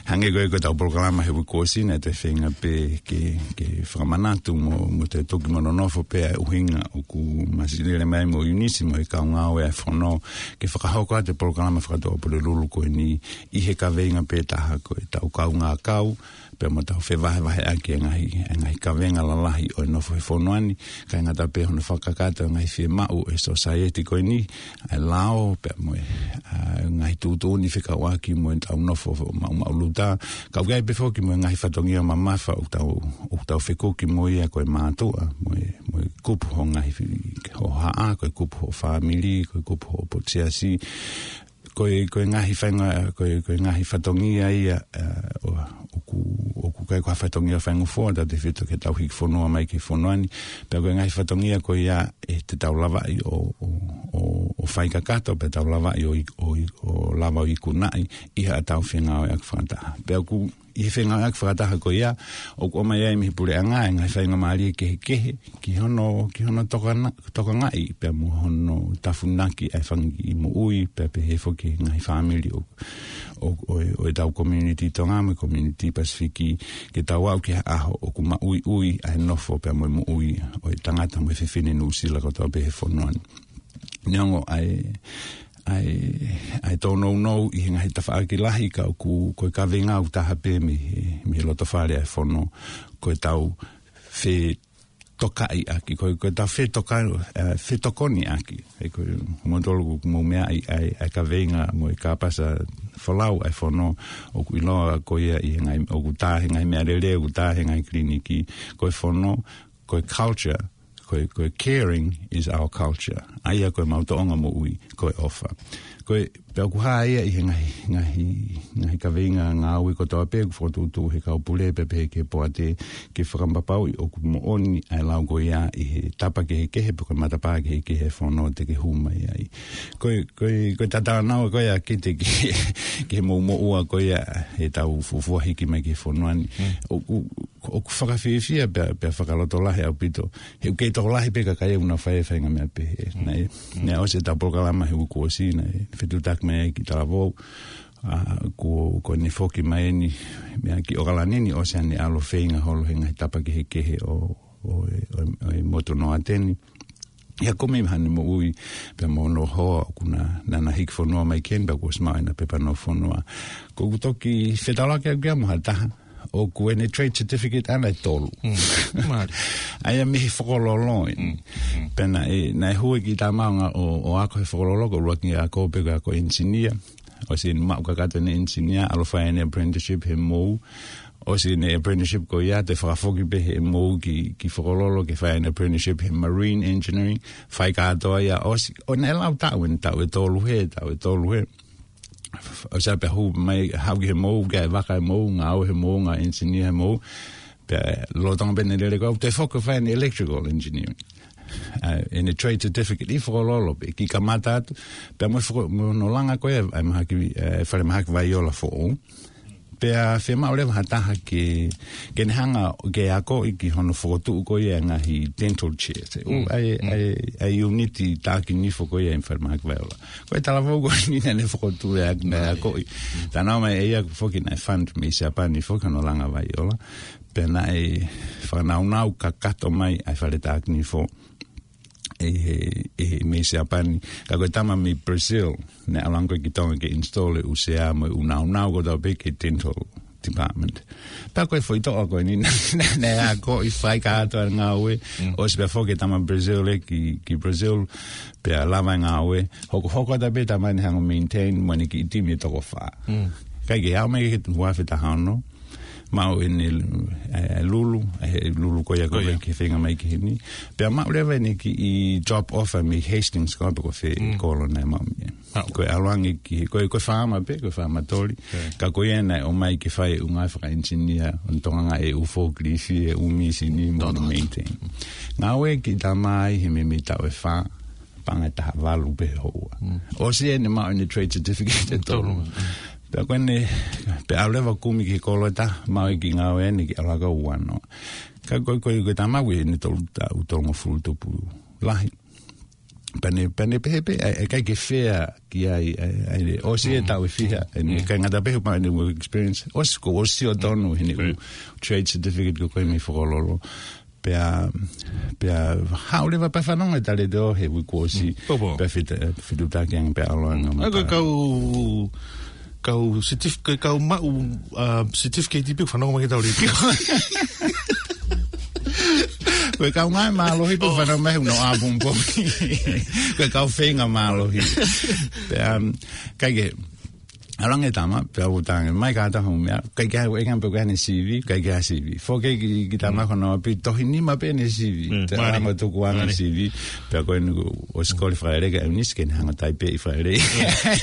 hangē ko e ko e tau polokalama he uike kuo ʻosi naʻe toe feinga pē ke, ke fakamanatu mo, mo te toki mo nonofo pē ʻa e ʻuhinga ʻoku Masilele mai mo Eunice mo e kau ngāue ʻa e fono ke fakahoko atu e polokalama fakatō Pulelulu ko eni ʻi he kaveinga pē taha ko e tau kaungā kau, pea mo tau fevahevaheʻaki e ngaahi, e ngaahi kavenga lalahi ʻo e nofo he fonua ni, kae ngata pē hono fakakakato e ngaahi fiemaʻu ʻo e society ko eni, ʻa e lao, pea mo e, ʻa, ngaahi tuʻutuʻuni fekauʻaki mo e tau nofo maʻumaʻuluta, ka ʻoku ʻi ai pē foki mo e ngaahi fatongia mamafa ʻoku tau, ʻoku tau fekuki mo ia ko e mātuʻa, mo e, mo e kupu hoʻo ngaahi fi-, hoʻo haʻa, ko e kupu hoʻo fāmili, ko e kupu hoʻo potu siasi, ko e, ko e ngaahi fainga-, ko e, ko e ngaahi fatongia ia, ʻa, ʻo, ʻoku, ʻoku ʻikai ko ha fatongia faingofua, tautefito ke tau hiki fonua mai ki he fonua ni, pea ko e ngaahi fatongia ko ia ʻe te tau lavaʻi ʻo, ʻo, ʻo, ʻo fai kakato, pea tau lavaʻi ʻo i-, ʻo i-, ʻo lava ʻo ikunaʻi ʻi haʻatau fengāueʻaki fakataha. Pea ʻoku ʻi he fengāueʻaki fakataha ko ia, ʻoku ʻomai ai mei he puleʻanga e ngaahi faingamālie kehekehe, ki hono, ki hono tokana-, tokangaʻi, pea mo hono tafunaki ʻa e fanga kiʻi moʻui, pea pehē foki he ngaahi fāmili ʻo, ʻo, ʻo, ʻo e tau community Tonga mo e community Pasifiki, ke tau aʻu ki he ʻaho ʻoku maʻuiʻui ʻa e nofo pea mo e moʻui ʻo e tangata mo e fefine Nuʻusila kotoa pē he fonua ni. Neongo ʻa e, ʻa e, ʻa e tōnounou ʻi he ngaahi tafaʻaki lahi ka ʻoku, ko e kaveinga ʻoku taha pē mei he, mei he loto fale ʻa e fono, ko e tau fetokaʻiʻaki, ko e, ko e tau fetoka-, ʻa, fetokoniʻaki. ʻE ko e motolo ʻoku mou meaʻi ʻa e, ʻa e kaveinga mo e kāpasa folau ʻa e fono ʻoku ʻiloa ko ia ʻi he ngaahi, ʻoku tā he ngaahi meʻalele, ʻoku tā he ngaahi kiliniki, ko e fono, ko e culture, ko e, ko e caring is our culture. ʻA ia ko e mau toʻonga moʻui, ko e ʻofa. Ko e, pea ʻoku hā ia ʻi he ngaahi, ngaahi, ngaahi kaveinga ngāue kotoa pē, ʻoku fokotuʻutuʻu he kau pule pea pehē ki he poate, ke fakapapauʻi ʻoku moʻoni ʻa e lau ko ia ʻi he tapa kehekehe, pe ko e matapā kehekehe he fono te ke hū mai ai. Ko e, ko e, ko e tatau naua ko ia Kite ki, ki he mou moʻua ko ia he tau fuofua hiki mai ki he fonua ni. Mm. ʻOku, ʻoku fakafiefia pea, pea fakalotolahi ʻaupito. He ʻoku kei tokolahi pē kakai ʻoku nau fai e fainga meʻa pehē. Mm. Naʻe, mm, naʻe ʻosi e tau polokalama he uike kuo ʻosi, naʻe fetuʻutaki mai ai ki Talavou. ʻA, kuo, kuo ne foki mai eni, meʻa ki ʻOkalani ni ʻosi ʻene ʻalu ʻo feinga holo he ngaahi tapa kehekehe ʻo, ʻo, ʻo, ʻo e motu Noateni. ʻI he kumi mai haʻane moʻui, pea mo hono hoa, ʻoku na, na, na hiki fonua mai ki heni, pea kuo ʻosi maʻu ʻena pepa nofo fonua. Ko ʻeku toki fetaulaki ʻaʻaku ia mo ha taha, ʻoku ʻene trade certificate ʻana ʻe tolu. Mm. Mālie. ʻA ia mei he fokololo eni. Mm, mm. Pea naʻe, naʻe hū e kiʻi tama ʻo, ʻo ako he fokololo, ko e ʻuluaki ako pē ko e ako engineer. ʻOsi ʻene maʻu kakato ʻene engineer, ʻalu ʻo fai ʻene apprenticeship he mou. ʻOsi ʻene apprenticeship ko ia, toe fakafoki pē he mou ki, ki fokololo ke fai ʻene apprenticeship he marine engineering. Fai kātoa ia ʻosi. ʻO naʻe lau taʻu ʻeni, taʻu ʻe tolu hē, taʻu ʻe tolu hē. ʻOsi pea hū mai, haʻu ki he mou, ki he vaka he mou, ngāue he mou, ngāue engineer he mou. Pea lolotonga pē ʻene lele ko ē, toe foki ʻo fai ʻene electrical engineering. ʻA, ʻene trade certificate ʻi fokololo pē, kiʻi kamata atu. Pea mo e foko-, mo hono langa ko ē ʻa e mahaki, ʻa e fale mahaki Vaiola foʻou. Pea fiemaʻu leva ha taha ke, ke ne hanga ke akoʻi ki hono fokotuʻu ko ia e ngaahi dental chairs. Mm. ʻA e, mm, ʻa e, ʻa e ʻiuniti taʻaki nifo ko ia ʻi he fale mahaki Vaiola. Ko e Talavou ko eni naʻa ne fokotuʻu e ak-, naʻe akoʻi. Tānaki mai ʻe ia ʻoku foki naʻe fund mei Siapani foki hono langa Vaiola. Pea naʻe fakanaunau kakato mai ʻa e fale taʻaki nifo. ʻi he, ʻi he mei Siapani. Ka ko e tama mei Brazil, naʻe ʻalu ange ko ē ki Tonga ke install e ʻū sea mo e ʻū naunau kotoa pē ki he dental department. Pea ko e foʻi toʻa ko eni naʻe, naʻe, naʻe akoʻi, fai kātoa e ngāue, ʻosi pea foki e tama Brazil ē ki, ki Brazil, pea lava e ngāue, hokohoko atu pē e tama ni ʻo hanga ʻo maintain, mo ʻene kiʻi timi ʻe toko fā. Kae kehe aʻu mai ki he ua afe taha ono, maʻu ʻene, ē, lulu, ē, lulu ko ia ko ē ki he feinga mai ki heni. Pea maʻu leva ʻene kiʻi job offer mei Hastings ko ē pe ko fē, kolo naʻe maʻu mei ai. Ko e ʻalu ange ki, ko e, ko e faama pē, ko e faama toli. Ka ko ia naʻe ō mai ke fai e ʻū ngāue fakaʻenisinia, ʻo ne tokangaʻi e ʻū forklift, e ʻū mīsini, mo ne maintain. Ngāue e kiʻi tama ia he meimei taʻu ʻe fā, paʻanga ʻe taha valu pē houa. ʻOsi ʻene maʻu ʻene trade certificate ʻe tolu. Pea ko ʻene, pea ʻalu leva ʻo kumi ki he kolo ʻe taha, maʻu e kiʻi ngāue ʻene kiʻi ʻalu hake ʻo ua noa. Ka ko, ko, ko e tama ko ē ʻene tolu taʻu, tolungofulu tupu lahi. Pea ne, pea ne pehē pē, ʻa e, ʻikai ke fair ki ai, ʻa e, ʻa e, ʻosi e taʻu ʻe fiha, ʻene, ʻikai ngata pē he maʻu ʻene work experience, ʻosi ko, ʻosi ʻo tonu ʻene ʻū trade certificate ko ē mei Fokololo. Pea, pea haʻu leva pea fanongo e talētō he uike kuo ʻosi, pea fetu-, fetuʻutaki ange pea ʻalu ange. ʻA ko e kau, kau certif-, ko e kau maʻu, ā, certificate pē fanongo mai ki he tau lētio. Ko e kau ngāue mālohi pē fanongo mai he ʻuno ʻapongipongi. Ko e kau feinga mālohi. Pea, um, kae kehe, ʻalu ange e tama, pea u tangi, mai kātoa hoʻo meʻa, ʻikai ke ʻi ai, ʻikai ke ʻi ai haʻane C V, ʻikai ke ʻi ai C V. Foki ki, ki he tama ko hono ʻapi, tohi nima pē ʻene C V. Te anga tuku ange C V, pea ko eni kuo ʻosi kole Fale ke ʻEunisi ke ne hanga ʻo taipeʻi Fale.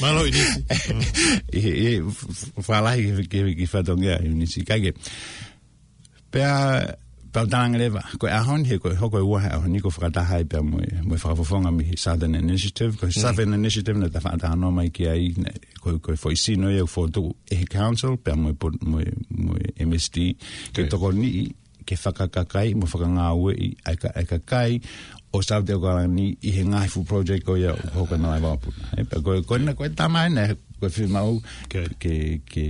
Mālō ʻEunisi. ʻI, ʻi, f-, f-, fālahi ki, ki, ki fatongia ʻEunisi. Kae kehe, pea, pea u talaange leva, ko e ʻaho ni, he ko e hoko e ua he ʻaho ni, ko e fakataha ai pea mo e, mo e fakafofonga mei he Southern Initiative, ko e Southern Initiative naʻa ta fakatalanoa mai ki ai, naʻe, ko e, ko e foʻi sino ia ʻoku fokotuʻu ʻe he council, pea mo e po-, mo e, mo e M S D, ke tokoniʻi, ke fakakakai, mo fakangāueʻi, ʻa e ka-, ʻa e kakai ʻo South ʻAokalani ʻi he ngaahi fuʻu project ko ia ʻoku hoko ʻi he ngaahi vakapuna. ʻE, pea ko e, ko ena, ko e tama ena, ko e fiemaʻu ke, ke,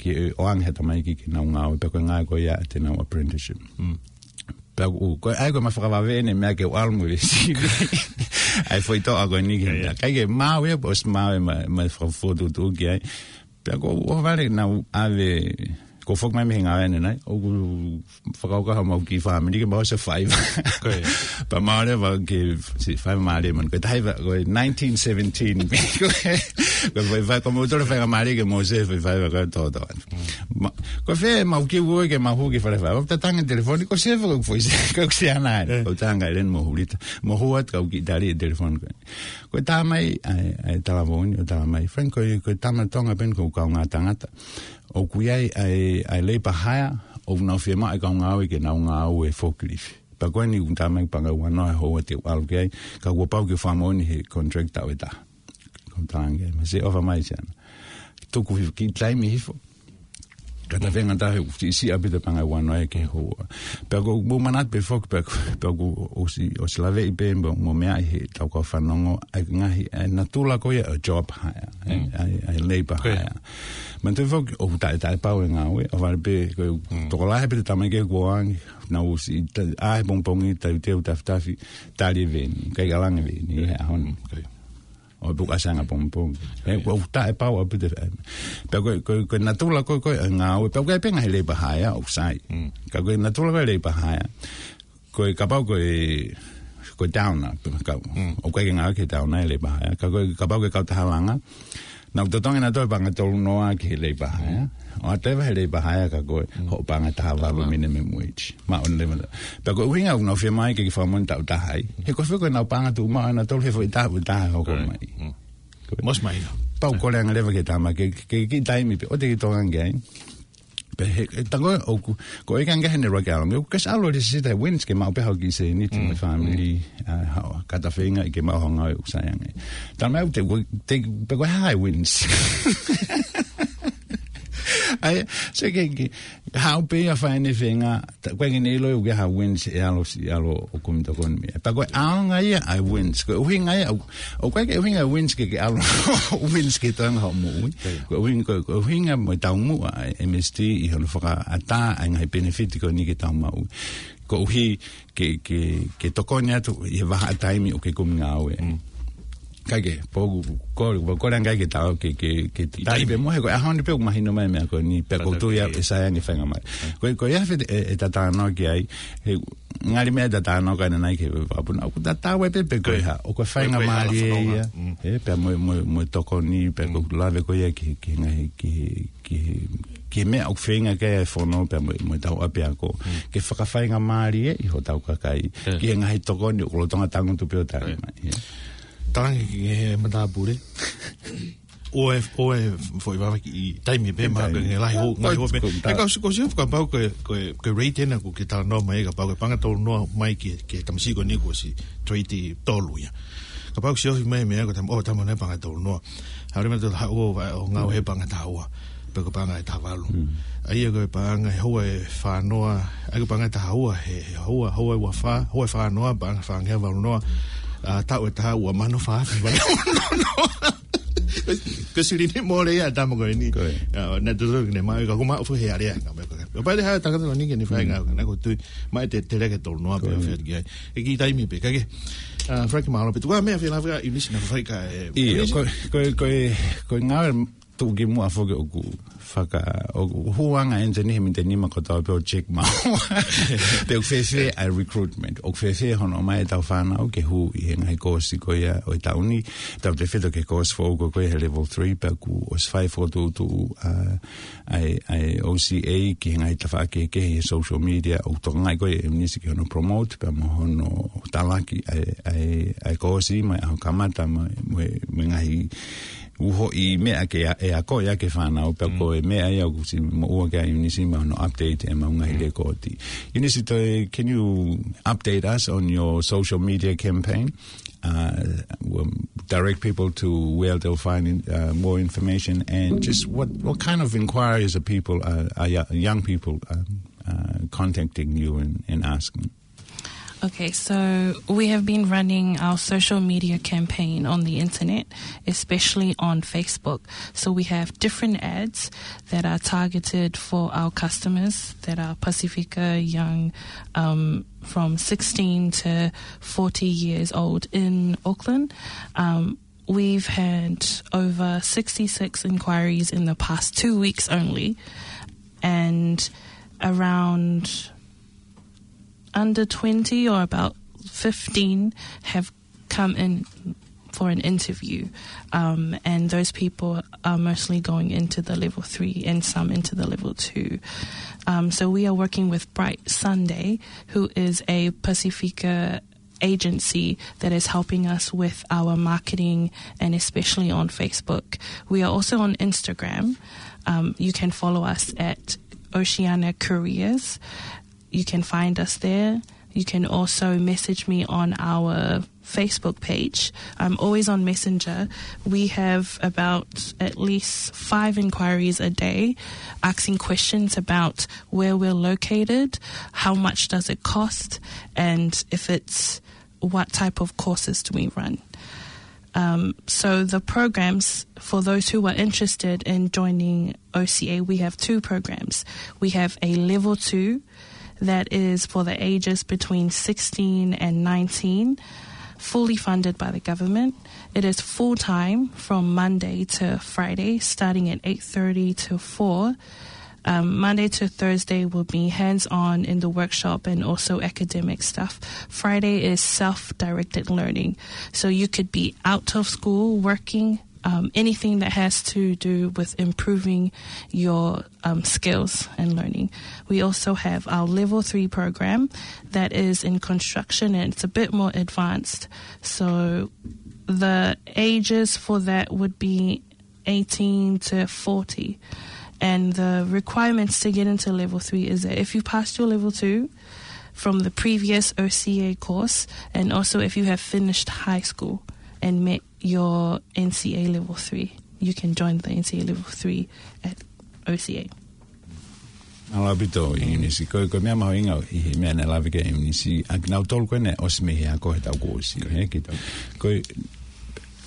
ke ʻoange ha tamaiki ke nau ngāue, pea ko e ngāue ko ia ʻa ʻenau apprenticeship. Pea ko, ko e ʻai ko e ma fakavave ʻene meʻa ke u ʻalu mo e C V. ʻA e foʻi toʻa ko eni ke, ʻikai ke maʻu ia, pea ʻosi maʻu ia ma, ma fakafotutuʻu ki ai. Pea ko u ʻohovale naʻa ku ʻave, ko u foki mai mei he ngāue ʻanenai, ʻoku fakakaukau haʻamau kiʻi fāmili ke mau ʻosi faiva. Pea mau leva ke si faiva mālie man. Ko e taha ia, ko e nineteen seventeen. Ko e, ko e faiva, ko mau tole faiva mālie ke mau ʻosi faiva ko e toto. Ma, ko fē mau kiʻi ue ke mau hū ki Falefaiva. Ko u tatangi telefoni, ko Sefa ko e foʻi se, ko e se ana. Ko u tanga ʻEleni mo Hulita. Mo hū atu kau kiʻi tali e telefoni ko ē. Ko e tala mai, ʻa e, ʻa e talavou ni, ʻo tala mai. Frank, ko e, ko e tama Tonga pē eni ko e kaungā tangata. ʻOku ʻi ai ʻa e, ʻa e labour hire, ʻoku nau fiemaʻu e kau ngāue ke nau ngāue forklift. Pea ko eni ʻoku tala mai paʻanga ʻe ua noa he houa te u ʻalu ki ai, ka kuo pau ke fakamoʻoni he contract taʻu ʻe taha. Ko u talaange, ma se ʻofa mai siana. Tuku hifo, kiʻi taimi hifo. Ka ta feinga taha ʻoku siʻisiʻi ʻaupito paʻanga ʻe ua noa ia ki he houa. Pea ko u manatu pē foki, pea ko, pea ko u ʻosi, ʻosi laveʻi pē mo, mo meʻa ʻi he tau kau fanongo, ʻa e ngaahi, ʻa e natula ko ia ʻo e job hire, ʻa e, ʻa e, ʻa e labour hire. Manatuʻi foki, ʻoku taʻe, taʻepau e ngāue, ʻohovale pē, ko e tokolahi pē te tamaiki kuo ʻange, nau ʻosi, ta-, ʻā he pongipongi, teuteu tafitafi, tali e veni, ʻikai ke ʻalu ange e veni, he ʻaho ni. ʻO e puka sanga pongipongi. ʻE, ʻoku taʻepau ʻaupito. Pea ko e, ko e, ko e natula ko ē, ko ē, ʻa e ngāue, pea ko e penga he labour hire, ʻoku sai. Ka ko e natula ko ē labour hire. Ko e kapau ko e, ko e downer, pe kau. ʻOku ʻikai ke ngāue ki he downer e labour hire. Ka ko e kapau ko e kautaha langa. Nau totongi nautolu paʻanga ʻe tolu noa ki he labour hire. ʻO ʻatā leva he labour hire ka ko e, hoʻo paʻanga ʻe taha valu minimum wage. Maʻu ʻeni leva. Pea ko e ʻuhinga ʻoku nau fiemaʻu ke kiʻi fakamoʻoni taʻu taha ai. He ko fē ko ʻenau paʻanga tuʻumaʻu ʻanautolu he foʻi taʻu ʻe taha hoko mai. Ko e. Mos mai. Pea u kole ange leva ki he tama ke, ke, ke kiʻi taimi pē, ʻoua te ke tokanga ki ai. Pea he, he tango ʻoku, ko e ʻikai ke ʻi ai haʻane ʻuluaki ʻalu ange, ʻoku ke ʻosi ʻalu ʻo lisisita he WINZ ke maʻu pē haʻo kiʻi sēniti mo e fāmili, ʻa, haʻo kata feinga ʻi ke maʻu haʻo ngāue ʻoku sai ange. Tala mai ʻoku te, ʻoku te, pe ko e hā e WINZ. ʻAi, so ke, ke, haʻu pē ia fai ʻene feinga, ta-, ko e ʻikai ke ne ʻilo ia ʻoku ʻi ai ha wins ʻe ʻalu si, ʻalu ʻo kumi tokoni mei ai. Pea ko e ʻaonga ia ʻa e wins, ko e ʻuhinga ia, ʻo, ʻoku ʻikai ke ʻuhinga e wins ke, ke ʻalu, wins ke toenga hoʻo moʻui. Ko e ʻuhinga, ko, ko e ʻuhinga mo e taumuʻa ʻa e M S T ʻi hono fakaʻatā ʻa e ngaahi benefit ko eni ke tau maʻu. Koeʻuhi ke, ke, ke tokoni atu ʻi he vahaʻa taimi ʻoku ke kumi ngāue. Kae kehe, pea ʻoku, ko, ko, ko e anga ke tau, ke, ke, ke taipe mo he ko e ʻaho ni pē ʻoku mahino mai meʻa ko eni, pea ʻoku ou tui au ʻe sai ange faingamālie. Ko, ko ia fē e, e tatano ki ai, he ngali meʻa tatano ka na nai ke vapuna, ʻoku tatau ai pē pe ko e hā, ʻoku faingamālie ia, e, pea mo, mo, mo tokoni, pea ʻoku lave ko ia ki, ki ngaahi, ki, ki, ki meʻa ʻoku feinga ke e fono pea mo, mo tau ʻapiako. Ke fakafaingamālie ʻi hotau kakai. Ki he ngaahi tokoni ʻoku lolotonga tangutu pē ʻo taʻi mai. Talangi ki he matāpule. ʻO e, ʻo e foʻi vava ki taimi pē ma ke nge lahi hou, ngai hou pē. Ko, ko, e kau si, kau si kapau ko e, ko e, ko e rate ena ʻoku ke talanoa mai, kapau ko e paʻanga tolu noa mai ki, ki he tamasiʻi ko eni kuo ʻosi trade tolu ia. Kapau ʻoku ʻosi ofi mai meʻa ko e tama, ʻo tama nai paʻanga tolu noa. Haʻu leva ʻo haʻu ʻo, ʻo ngāue he paʻanga taha ua. Pe ko e paʻanga ʻe taha valu. ʻA ia ko e paʻanga ʻe houa ʻe fā noa, ʻa ia ko e paʻanga ʻe taha ua he, he houa, houa ʻe ua fā, houa ʻe fā noa, paʻanga fāngeau valu noa, ʻa, taʻu ʻe taha ua mano fā afe valu noa. Ko e silini mole ia tama ko eni. Ko e. ʻA, na tutu ke ne maʻu, ka ko maʻu fo he alea, ka me ko e. Ka pale ha tangata ko eni ke ne fai ngāue, na ko tui, maʻu e te, te leke tolu noa pē ʻo fea ki ai. E ki taimi pē, ka ke, ʻa, Frank Malo pē, tuku ā meʻa fela fela ʻIunisi na fai ka, e, ʻIo, ʻIunisi? ko, ko, ko, ko e ngāue tuʻukimuʻa foki ʻoku faka, ʻoku hū anga ʻeniteni he miniti nima kotoa pē ʻo check maua. Pe ʻoku fēfē ʻa e recruitment, ʻoku fēfē hono ʻomai ʻetau fānau ke hū ʻi he ngaahi kōsi ko ia ʻo e taʻu ni, tautefito ki he kōsi foʻou ko ia he level three, pea kuo ʻosi fai fokotuʻutuʻu, ʻa, ʻa e, ʻa e O C A ki he ngaahi tafaʻaki kehekehe he social media, ʻoku tokangaʻi ko ia ʻe ʻIunisi ki hono promote, pea mo hono talaki ʻa e, ʻa e, ʻa e kōsi, mo e ʻaho kamata, mo, mo, mo e ngaahi uhoʻi meʻa ke a-, ʻe akoʻi ʻaki e fānau, pea ko e meʻa ia ʻoku ʻosi moʻua ki ai ʻIunisi mo hono update ʻemau ngaahi lēkooti. ʻIunisi, toe, can you update us on your social media campaign? Uh, um, direct people to where they'll find in, uh, more information and just what, what kind of inquiries are people, uh, are yo-, young people, um, uh, contacting you and, and asking? Okay, so we have been running our social media campaign on the internet, especially on Facebook. So we have different ads that are targeted for our customers that are Pasifika, young, um, from sixteen to forty years old in Auckland. Um, we've had over sixty-six inquiries in the past two weeks only, and around under twenty or about fifteen have come in for an interview. Um, and those people are mostly going into the level three and some into the level two. Um, so we are working with Bright Sunday, who is a Pasifika agency that is helping us with our marketing and especially on Facebook. We are also on Instagram. Um, you can follow us at Oceania Careers. You can find us there. You can also message me on our Facebook page. I'm always on Messenger. We have about at least five inquiries a day asking questions about where we're located, how much does it cost, and if it's, what type of courses do we run. Um, so the programs, for those who are interested in joining O C A, we have two programs. We have a level two that is for the ages between sixteen and nineteen, fully funded by the government. It is full-time from Monday to Friday, starting at eight thirty to four. Um, Monday to Thursday will be hands-on in the workshop and also academic stuff. Friday is self-directed learning. So you could be out of school, working, um, anything that has to do with improving your, um, skills and learning. We also have our level three program that is in construction, and it's a bit more advanced. So the ages for that would be eighteen to forty. And the requirements to get into level three is that if you passed your level two from the previous O C A course, and also if you have finished high school and met your N C A level three, you can join the N C A level three at O C A. Mālō ʻaupito, ʻIunisi. Ko, ko e meʻa mahuʻinga ʻi he meʻa naʻe lave ki ai ʻIunisi, ʻa kinautolu ko ē naʻe ʻosi mei he ako he taʻu kuo ʻosi, ē, ki, ko,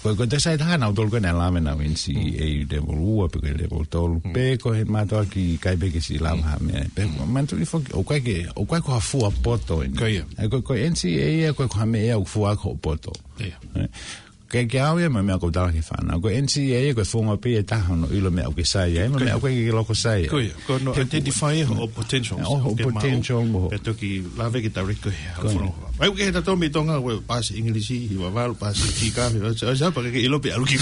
ko, ko e taha nautolu ko ē naʻe lave naʻe N C E A level ua, pe ko e level tolu, pe ko e mātuʻaki ʻikai pē ke siʻi lava ha meʻa. Pe, manatuʻi foki, ʻoku ʻikai ke, ʻoku ʻikai ko ha fua poto eni. Ko ia. ʻE, ko, ko e N C E A, ko, ko ha meʻa ia ʻoku fua ko poto. Ia. Ē? Ke, ke au ia mo e meʻa ʻoku ou tala ki he fānau. Ko e N C E A ko e founga pē ia ʻe taha hono ʻilo e meʻa ʻoku ke sai ai, mo e meʻa ʻoku ʻikai ke ke loko sai ai. Ko ia, ko hono identify hoʻo potentials. Hoʻo potential mo. Pea toki lave ke direct ko ia. Ko ia. Ai, ʻoku ke he tatou mei Tonga, ʻoku pasi ʻIngilisi, hiva valu, pasi ki kafe, ʻo, ʻo, ʻo, pea ke ʻilo pē ʻalu ki.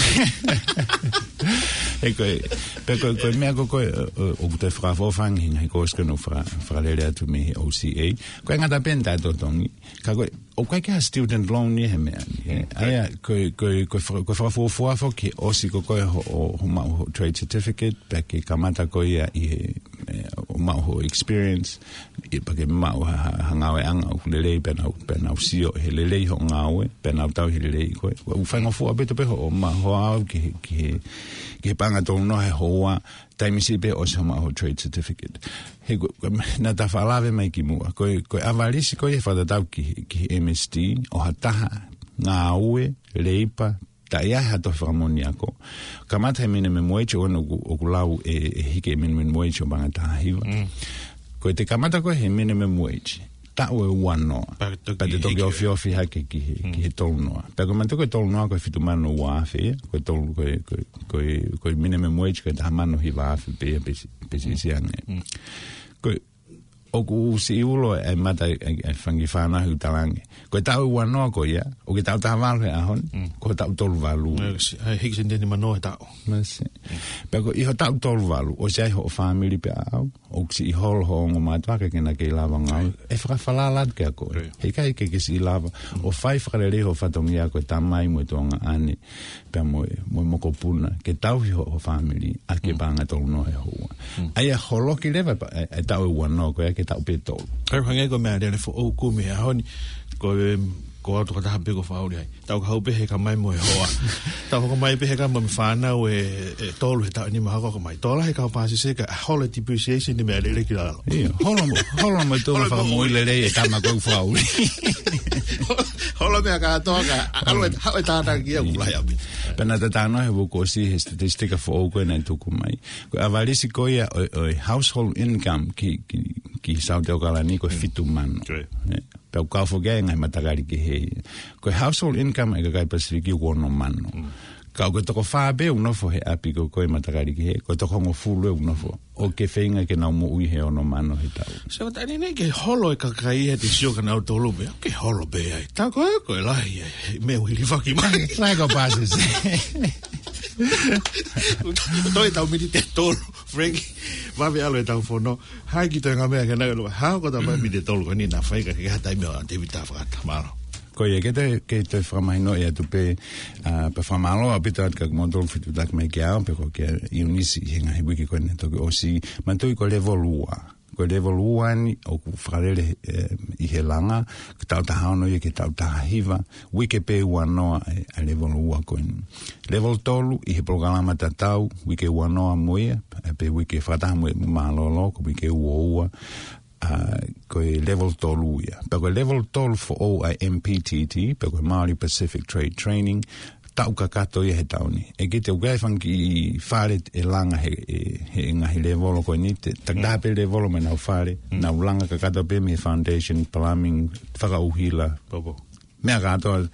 Ē, ko e, pea ko e, ko e meʻa ko ē, ʻo, ʻo, ʻoku te fakafofonga he ngaahi kosi ko ē naʻe faka-, fakalele atu mei he O C A. Ko e ngata pē ʻeni ʻetau totongi. Ka ko e, ʻoku ʻikai ke ha student loan ia he meʻa ni, ē. Mm. ʻA ia, ko e, ko e, ko e faka-, ko e fakafuofua foki ʻosi ko ē hoʻo, hoʻo maʻu hoʻo trade certificate, pea ke kamata ko ia ʻi he, ē, hoʻo maʻu hoʻo experience, ē, pea ke maʻu ha, ha, ha ngāueʻanga ʻoku lelei pea nau, pea nau sio he lelei hoʻo ngāue, pea nau tauhi lelei koe. ʻOku faingofua ʻaupito pē hoʻo ma-, hoʻo aʻu ki he, ki he, ki he paʻanga tolu noa he houa, taimi siʻi pē ʻosi hoʻo maʻu hoʻo trade certificate. He ko, ko, naʻa ta faʻa lave mai kimuʻa. Ko e, ko e ʻavalisi ko ia he fakatatau ki, ki he M S T, ʻo ha taha ngāue, leipa, taʻe ʻi ai ha tohi fakamoʻoni ako. Kamata he minimum wage, ʻoku, ʻoku lau ʻe, ʻe hiki e minimum wage ʻo e paʻanga taha hiva. Mm. Ko e te kamata ko ē he minimum wage, taʻu ʻe ua noa. Pea toki, pea te toki hiki. Ofiofi hake ki he, mm, ki he tolu noa. Pea ko e manatuʻi ko e tolu noa ko e fitu mano ua afe ia, ko e tolu, ko e, ko e, ko e, ko e minimum wage ko e taha mano hiva afe pē ia pe si-, pe siʻisiʻi ange. Mm. Ko e, ʻoku siʻi ulo e mata e, e, e fanga kiʻi fānau ʻi he talange. Ko e taʻu ʻe ua noa ko ia, ʻoku ke taʻu taha valu he ʻaho ni, mm, ko e taʻu tolu valu. Ē, si-, ʻa e hiki seniteni mano he taʻu. Māsiʻi. Mm. Pea ko e ʻi hoʻo taʻu tolu valu, ʻosi ʻi ai hoʻo fāmili pea ʻau, ʻoku siʻi holo hoʻo ongo mātuʻa ka ke na kei lava ngāue. Right. ʻE fakafalala atu kiate koe. Right. Heʻikai ke ke siʻi lava. Mm. ʻO fai fakalelei hoʻo fatongia ko e tamai mo e tuongaʻane, pea mo e, mo e mokopuna, ke tauhi hoʻo, hoʻo fāmili, ʻaki e, mm, paʻanga tolu noa he houa. Mm. ʻA ia holoki leva pa-, e, e taʻu ʻe ua noa ko ia ki he taʻu pē tolu. Kae hangē ko e meʻalele foʻou kumi he ʻaho ni, ko e, ko au tokotaha pē ʻoku ou fakaʻuli ai. Tau ka hau pē he ka mai mo e hoa. Tau hoko mai pē he ka mai mo e fānau ʻe, ʻe tolu he taʻu ʻe nima hoko mai. Tō lahi e kau pāsese ka holo e depreciation ʻi he meʻalele ki lalo. ʻIo, holo mo, holo mo e tuʻunga fakamoʻui lelei e tama ko ē ʻoku ou fakaʻuli. Holo meʻa kātoa ka, ʻalu e, haʻu e tānaki ia ʻoku lahi ʻaupito. Pea naʻa ta talanoa he uike kuo ʻosi he statistika foʻou ko ē naʻe tuku mai. Ko e ʻavalisi ko ia ʻo, ʻo e household income ki, ki, ki Saute ʻAokalani ko e, mm, fitu mano. Right. Ē. Pea ʻoku kau foki ai e ngaahi matakali kehe. Ko e household income ʻa e kakai Pasifiki ʻoku ono mano. Mm. Ka ʻoku toko fā pē ʻoku nofo he ʻapi ko ē ʻo e matakali kehe, ko e toko hongofulu ʻoku nofo. ʻOku ke feinga ke nau moʻui he ono mano he taʻu. So, ta ni nei ke holo e kakai ia te sio ka nau tolu pē, ke holo pē ai. Tā ko ē, ko e lahi e, e meʻa ʻoku hilifaki mai. Lahi e kau pāsese. Toe tau miniti ʻe tolu, Frank, vave ʻalu e tau fono. Hai ki toe ngaahi meʻa ke nau ʻilo. Hā ko e tau miniti ʻe tolu ko eni naʻa fai ka ke ha taimi ʻo David ta fakata. Mālō. Ko ia, ke toe, ke toe fakamahinoʻi atu pē, ā, pea fakamālō ʻaupito atu kia kimoutolu fetuʻutaki mai kia au, pea ko kia ʻIunisi he ngaahi uike ko eni toki ʻosi, manatuʻi ko e level ua. Ko e level ua ni ʻoku fakalele, ē, ʻi he langa, ko e taʻu taha ono ia ki he taʻu taha hiva, uike pē ua noa e, e level ua ko eni. Level tolu ʻi he polokalama tatau, uike ua noa mo ia, ē, pe uike fakataha mo e mālōlō, ko e uike ua ua, ā, ko e level tolu ia. Pea ko e level tolu foʻou ʻa e M P T T, pea ko e Māori Pacific Trade Training, taʻu kakato ia he taʻu ni. ʻE kite ʻoku ʻi ai e fanga kiʻi fale ʻe langa he, he, he ngaahi levolo ko eni, te, takitaha pē levolo mo ʻenau fale, mm, nau langa kakato pē mei he foundation, plumbing, fakaʻuhila. Pau, pau. Meʻa kātoa,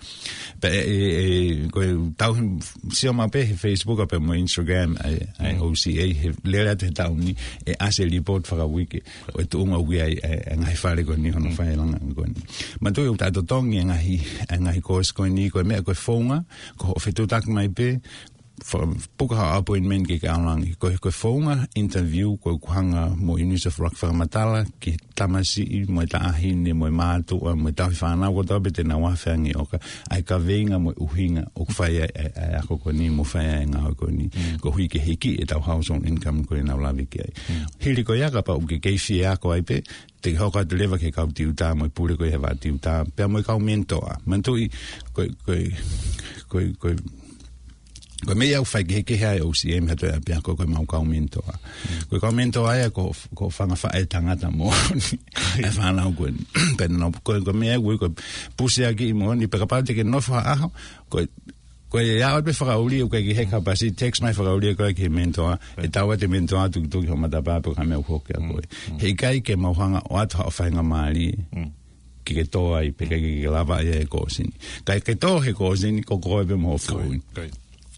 pea ʻe, ʻe, ʻe, ko e tau he, sio mai pē he Facebook pea mo Instagram, ʻa e, ʻa e, mm, O C A, he lele atu he taʻu ni, ʻe ʻasi e report fakauike, ʻo e tuʻunga ʻoku ʻi ai, ʻa e, ʻa e ngaahi fale ko eni hono, mm, fai e langa ko eni. Manatuʻi ʻoku ta totongi e ngaahi, e ngaahi kosi ko eni, ko e meʻa ko e founga, ko hoʻo fetuʻutaki mai pē, fa-, puka haʻo appointment ke ke ʻalu ange. Ko e, ko e founga interview, ko e ʻoku hanga mo ʻIunisi ʻo fakamatala ki he tamasiʻi, mo e taʻahine, mo e mātuʻa, mo e tauhi fānau, kotoa pē te nau afe ange ʻo ka, ʻa e kaveinga mo e ʻuhinga ʻoku fai ai, ʻa e, ʻa e ako ko eni mo fai ai e ngāue ko eni. Mm. Koeʻuhi ke hiki e tau household income ko ē naʻa ku lave ki ai. Mm. Hili ko ia kapau ʻoku ke kei fie ako ai pē, te ke hoko atu leva ki he kau tiuta mo e pule ko ē he vaʻa tiuta, pea mo e kau mentor. Manatuʻi, ko e, ko e, ko e, ko e, Ko e meʻa ia ʻoku faikehekehe ai ʻa e O C M ha toe ʻapiako ko e maʻu kau mentor. Ko e kau mentor ia ko, ko e fanga faʻētangata moʻoni ʻa e fānau ko eni. Pea nau, ko, ko e meʻa ʻoku ui ko e pusiaki moʻoni, pea kapau te ke nofo ha ʻaho, ko e, ko e ʻalu pē fakaʻuli, ʻoku ʻikai ke heka pasi, text mai fakaʻuli ko e ki he mentor, ʻe tau ʻa e mentor tukituki ho matapā pe ko ha meʻa ʻoku hoko kiate koe. He ʻikai ke mau hanga ʻo ʻoatu haʻo faingamālie ke ke tō ai, pe ke, ke lava ai e kōsini. Ka ke tō he kōsini, ko koe pē mo e foʻi.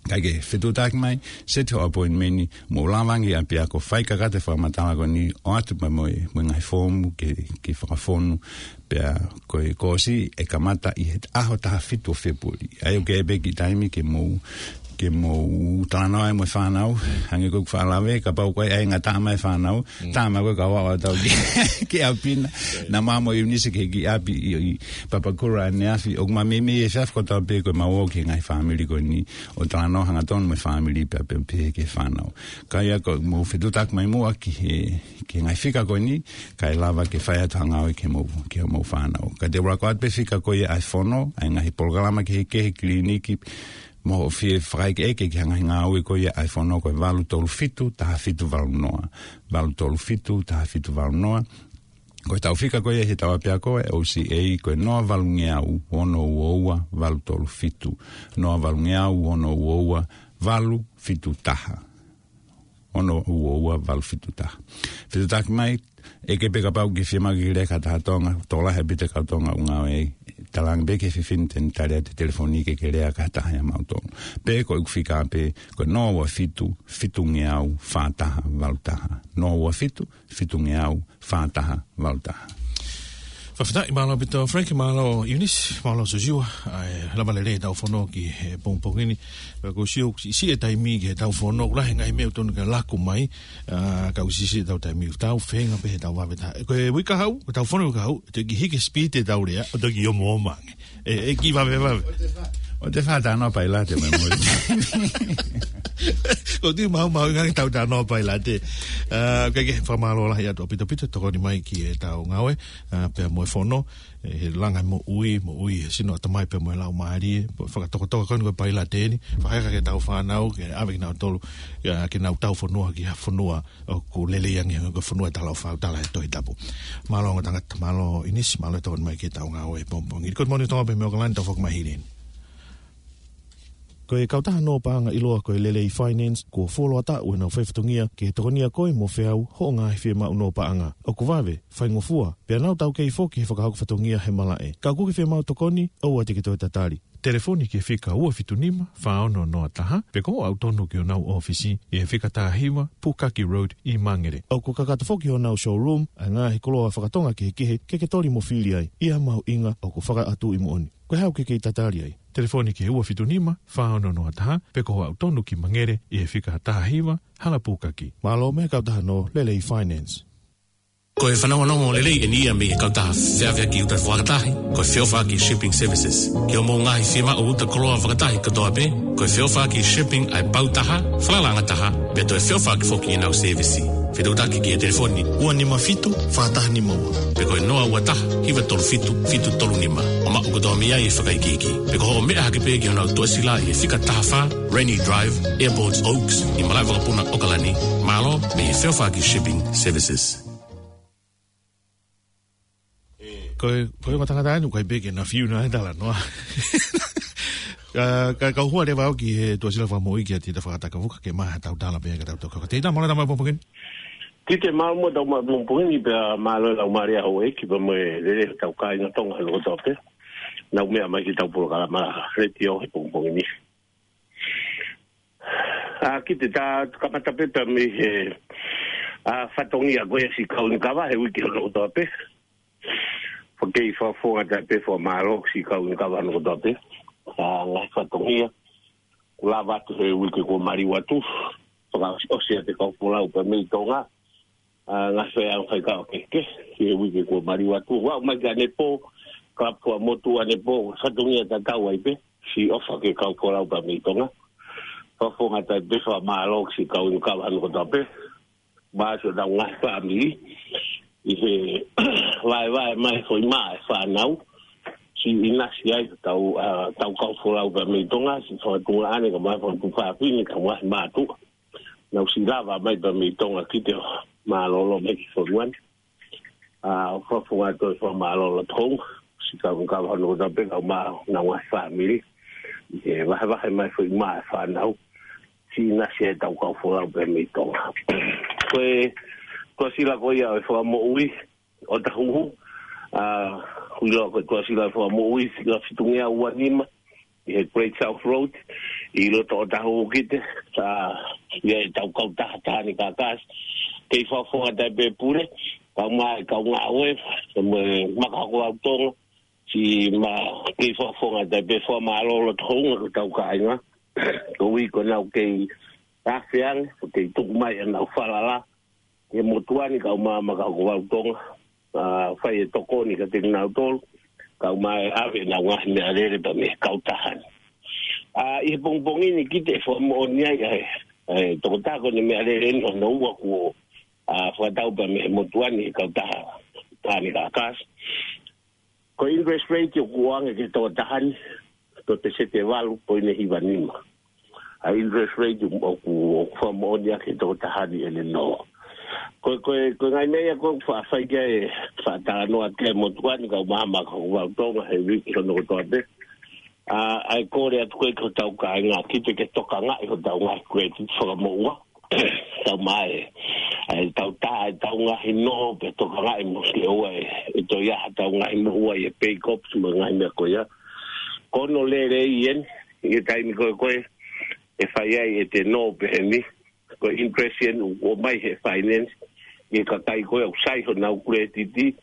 Ka ke fetuʻutaki mai, set ho appointment, mo lava ange ʻapiako fai kakato e fakamatala ko eni, ʻoatu mai mo e, mo e ngaahi foomu ke, ke fakafonu, pea ko e kōsi ʻe kamata ʻi he ʻaho taha fitu ʻo Fēpueli. ʻA ia ʻoku ʻi ai pē kiʻi taimi ke mou ke mou talanoa ai mo e fānau, hangē ko ʻeku faʻa lave, kapau ko e ʻai ngata mai e fānau, tā mai ko e kau ʻaʻau atu ki, ki ʻapi na, naʻa mau mo ʻIunise ki he kiʻi ʻapi ʻi, ʻi Papakura ʻaneafi, ʻoku ma meimei e fiafi kotoa pē ko e mau ō ki he ngaahi fāmili ko eni, ʻo talanoa hangatonu mo e fāmili pea, pea pehē ki he fānau. Ka ʻi ai ko e mou fetuʻutaki mai muʻa ki he, ki he ngaahi fika ko eni, kae lava ke fai atu ha ngāue ki he mou, ki he mou fānau. Ka te u laka atu pē fika ko ia ʻa e fono, ʻa e ngaahi polokalama kehekehe kiliniki, mo hoʻo fie fakaʻekeʻeke ki he ngaahi ngāue ko ia ʻa e fono ko e valu tolu fitu, taha fitu valu noa. Valu tolu fitu, taha fitu valu noa. Ko e tau fika ko ia he tau ʻapiako ʻa e O C A ko e noa valungeau, ono ua ua, valu tolu fitu. Noa valungeau, ono ua ua, valu fitu taha. Ono ua ua, valu fitu taha. Fetuʻutaki mai, ʻeke pē kapau ʻoku ke fiemaʻu ke ke lea ki ha taha Tonga, tokolahi ʻaupito e kau Tonga ʻoku ngāue ai, talaange pē ki he fefine te ne tali atu e telefoni ke ke lea ki ha taha ʻia mautolu. Pe ko ʻeku fika pē, ko e noa ua fitu, fitungeau, fā taha, valu taha. Noa ua fitu, fitungeau, fā taha, valu taha. Fakafetaʻi, mālō ʻaupito Frank, mālō ʻIunise, mālō Sosiua, ʻa e lava lelei ʻetau fono ki he pongipongi ni. Pea ʻoku ou sio ʻoku siʻisiʻi e taimi ki heʻetau fono, ʻoku lahi e ngaahi meʻa ʻoku tonu ke laku mai, ʻa, ka ʻoku siʻisiʻi ʻetau taimi, ʻoku tau feinga pē heʻetau vave taha. Ko e uike kahaʻu, ko ʻetau fono uike kahaʻu, ʻe toki hiki speed ʻetau lea, ʻo toki ō mo ō mai ange. ʻE, ʻe kiʻi vavevave. ʻOua te fā talanoa pailate mai mo. ʻOku ou tui maumauʻi ange ʻetau talanoa pailate. ʻA, ka ke fakamālō lahi atu ʻaupito ʻaupito, tokoni mai ki heʻetau ngāue, ʻa, pea mo e fono, ʻe, he langa moʻui, moʻui he sino ʻatamai pea mo e laumālie, fakatokatoka ko eni ko e pailate ni, fakaheka ki heʻetau fānau, ke ʻave kinautolu, ʻa, ke nau tau fonua ki ha fonua, ʻoku lelei ange ko e fonua ʻe talaʻofa ʻoku tala ʻe he Tohi Tapu. Mālō ongo tangata, mālō ʻIunise, mālō e tokoni mai ki heʻetau ngāue he pongipongi ni. Ko e moʻoni Tonga pē mei ʻAokalani, tau foki mai hili ni. Ko e kautaha nō paʻanga ʻiloa ko e Lelei Finance, kuo fuoloa taʻu ʻenau fai fatongia ke tokonia koe mo feau hoʻo ngaahi fiemaʻu nō paʻanga. ʻOku vave, faingofua, pea nau taukei foki he fakahoko fatongia he malaʻe. Ka ʻoku ke fiemaʻu tokoni, ʻoua te ke toe tatali. Telefoni ki he fika ua fitu nima, fā ono noa taha, pe ko hoʻo aʻu tonu ki honau ʻōfisi, ʻi he fika taha hiva, Pukaki Road, ʻi Mangere. ʻOku kakato foki honau showroom, ʻa e ngaahi koloa fakatonga kehekehe, ke ke toli mo fili ai, ʻi ha mahuʻinga ʻoku fakaʻatuʻi moʻoni. Ko e hā ʻoku ke kei tatali ai? Telefoni ki he ua fitu nima, fā ono noa taha, pe ko hoʻo aʻu tonu ki Mangere, ʻi he fika taha hiva, Hala Pukaki. Mālō mei he kautaha nō Lelei Finance. Ko e fanongonongo lelei eni ia mei he kautaha feʻaveʻaki uta fakatahi, ko e Feʻofaʻaki Shipping Services. Ki hoʻomou ngaahi fiemaʻu uta koloa fakatahi kotoa pē, ko e Feʻofaʻaki Shipping ʻa e pau taha, falalaʻanga taha, pea toe feʻofaʻaki foki ʻenau sēvisi. Fetuʻutaki ki he telefoni ua nima fitu, fā taha nima ua. Pe ko e noa ua taha, hiva tolu fitu, fitu tolu nima. ʻO maʻu kotoa mei ai e fakaikiiki. Pe ko hoʻo meʻa hake pē ki honau tuʻasila ʻi he fika taha fā, Rainy Drive, Airports Oaks, ʻi malaʻe vakapuna ʻAokalani, mālō mei he Feʻofaʻaki Shipping Services. Ko e, ko e ongo tangata eni, ʻoku ʻikai pē ke na fiu na he talanoa. Ka, ka, kau hua leva au ki he tuʻasila fakamoʻui kia Tita Fakatakavuka ke maʻu haʻatau tala pē ka tau toka. Tita, mālō e tau maʻu pongipongi ni. Tita, mālō mo e tau maʻu pongipongi ni pea mālō e laumālie ʻa houʻeiki pea mo e lelei ʻetau kāinga Tonga ʻi loto kotoa pē. Nau meʻa mai ki heʻetau polokalama letiō he pongipongi ni. ʻA, kiʻi tā kamata pē pea mei he, ʻa, fatongia ko ia siʻi kau ʻunikava he uike hono kotoa pē. Fakei fakafofonga atu pē fakamālō siʻi kau ʻunikava hono kotoa pē. ʻA, ngaahi fatongia kuo lava atu he uike kuo maliu atu. Fakaʻosi ʻa e kau folau pea mei Tonga. ʻA, ngaahi feʻauhi faikava kehekehe he uike kuo maliu atu. Ua mai ki ʻanepō, kalapu ʻa motu ʻanepō, fatongia tatau ai pē. Siʻi ʻofa ki he kau folau pea mei Tonga. Fakafofonga atu pē fakamālō siʻi kau ʻunikava hono kotoa pē. Mālō siʻonau ngaahi fāmili ʻi he vaevae mai foʻi mā e fānau. Siʻi ʻinasi ai, tau, ʻa, tau kau folau pea mei Tonga, siʻi fakatuʻunga ʻane, kae ʻumaʻā e fakatuʻunga fefine, kae ʻumaʻā e mātuʻa. Naʻa ku siʻi lava mai pea mei Tonga ki te mālōlō mai ki Tonga ni. ʻA, fakafofonga atu e fakamālō ʻa Tonga, siʻi kau kau hono kotoa pē kae ʻumaʻā honau ngaahi fāmili. ʻI he vahevahe mai foʻi mā e fānau. Siʻi ʻinasi ai tau kau folau pea mei Tonga. Ko e, ko e sila ko ia ʻo e fakamoʻui, ʻOtahuhu, ʻa, ʻoku ʻiloa ko e Tuʻasila Fakamoʻui, sila fitungeau ua nima, ʻi he Great South Road, ʻi loto ʻOtahuhu ki te, ʻa, ʻi ai ʻetau kautaha Taʻahine Kākasi, kei fakafofonga atu ai pē pule, kae ʻumaʻā e kau ngāue, mo e Maka Hokovau Tonga, siʻi ma-, kei fakafofonga atu ai pē fakamālō loto hounga ki hotau kāinga, koeʻuhi ko ʻenau kei afe ange, ʻo kei tuku mai ʻenau falala, ʻi he motuʻa ni kae ʻumaʻā e Maka Hokovau Tonga, ʻa, fai e tokoni kiate kinautolu, kae ʻumaʻā e ʻave ʻenau ngaahi meʻalele pea mei he kautaha ni. ʻA, ʻi he pongipongi ni ki te fakamoʻoni ai, ʻa e, ʻa e tokotaha ko eni meʻalele ni hono ua kuo, ʻa, fakatau pea mei he motuʻa ni he kautaha Taʻahine Kākasi. Ko e interest rate ʻoku ʻoange ki he tokotaha ni, ko e peseti ʻe valu poini hiva nima. ʻA e interest rate ʻoku, ʻoku fakamoʻoni ʻaki e tokotaha ni ʻene nō. Ko, ko, ko e ngaahi meʻa ia ʻoku fa-, fai ki ai e fakatalanoa ki he motuʻa ni kae ʻumaʻā e Maka Hokovau Tonga he uike hono kotoa pē. ʻA, ʻa e kole atu ko ē ki hotau kāinga, ki te ke tokangaʻi hotau ngaahi credit fakamoʻua. Tau mai, ʻa e tau tā, ʻa e tau ngaahi nō, pea tokangaʻi mo ke ʻoua ʻe, ʻe toe ʻi ai haʻatau ngaahi moʻua ʻi he pay cops mo e ngaahi meʻa ko ia. Ko hono lelei eni, ʻi he taimi ko ē ko ē, ʻe fai ai ʻete nō pehē ni, ko e interest eni ʻoku ʻomai he finance, ʻi he kakai ko ē ʻoku sai honau credit,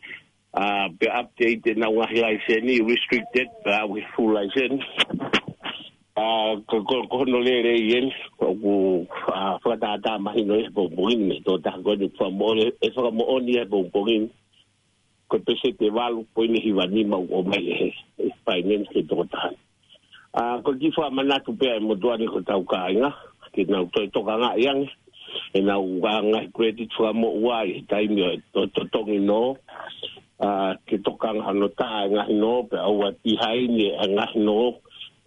ʻa, pea update ʻenau ngaahi laiseni, restricted, pea aʻu he full license. ʻA, ko, ko, ko hono lelei eni, ʻoku, ʻa, fakatātā mahino ʻi he pongipongi ni mei he tokotaha ko eni fakamoʻoni, ʻe fakamoʻoni ʻi he pongipongi ni. Ko e peseti ʻe valu poini hiva nima ʻoku ʻomai ʻe he, ʻe he finance ki he tokotaha. ʻA, ko e kiʻi fakamanatu pē ʻa e motuʻa ni ki hotau kāinga, ke nau toe tokangaʻi ange ʻenau ngaahi credit fakamoʻua ʻi he taimi ʻo e to-, totongi nō, ʻa, ke tokanga hono tā e ngaahi nō, pea ʻoua ʻe pihaini e ngaahi nō,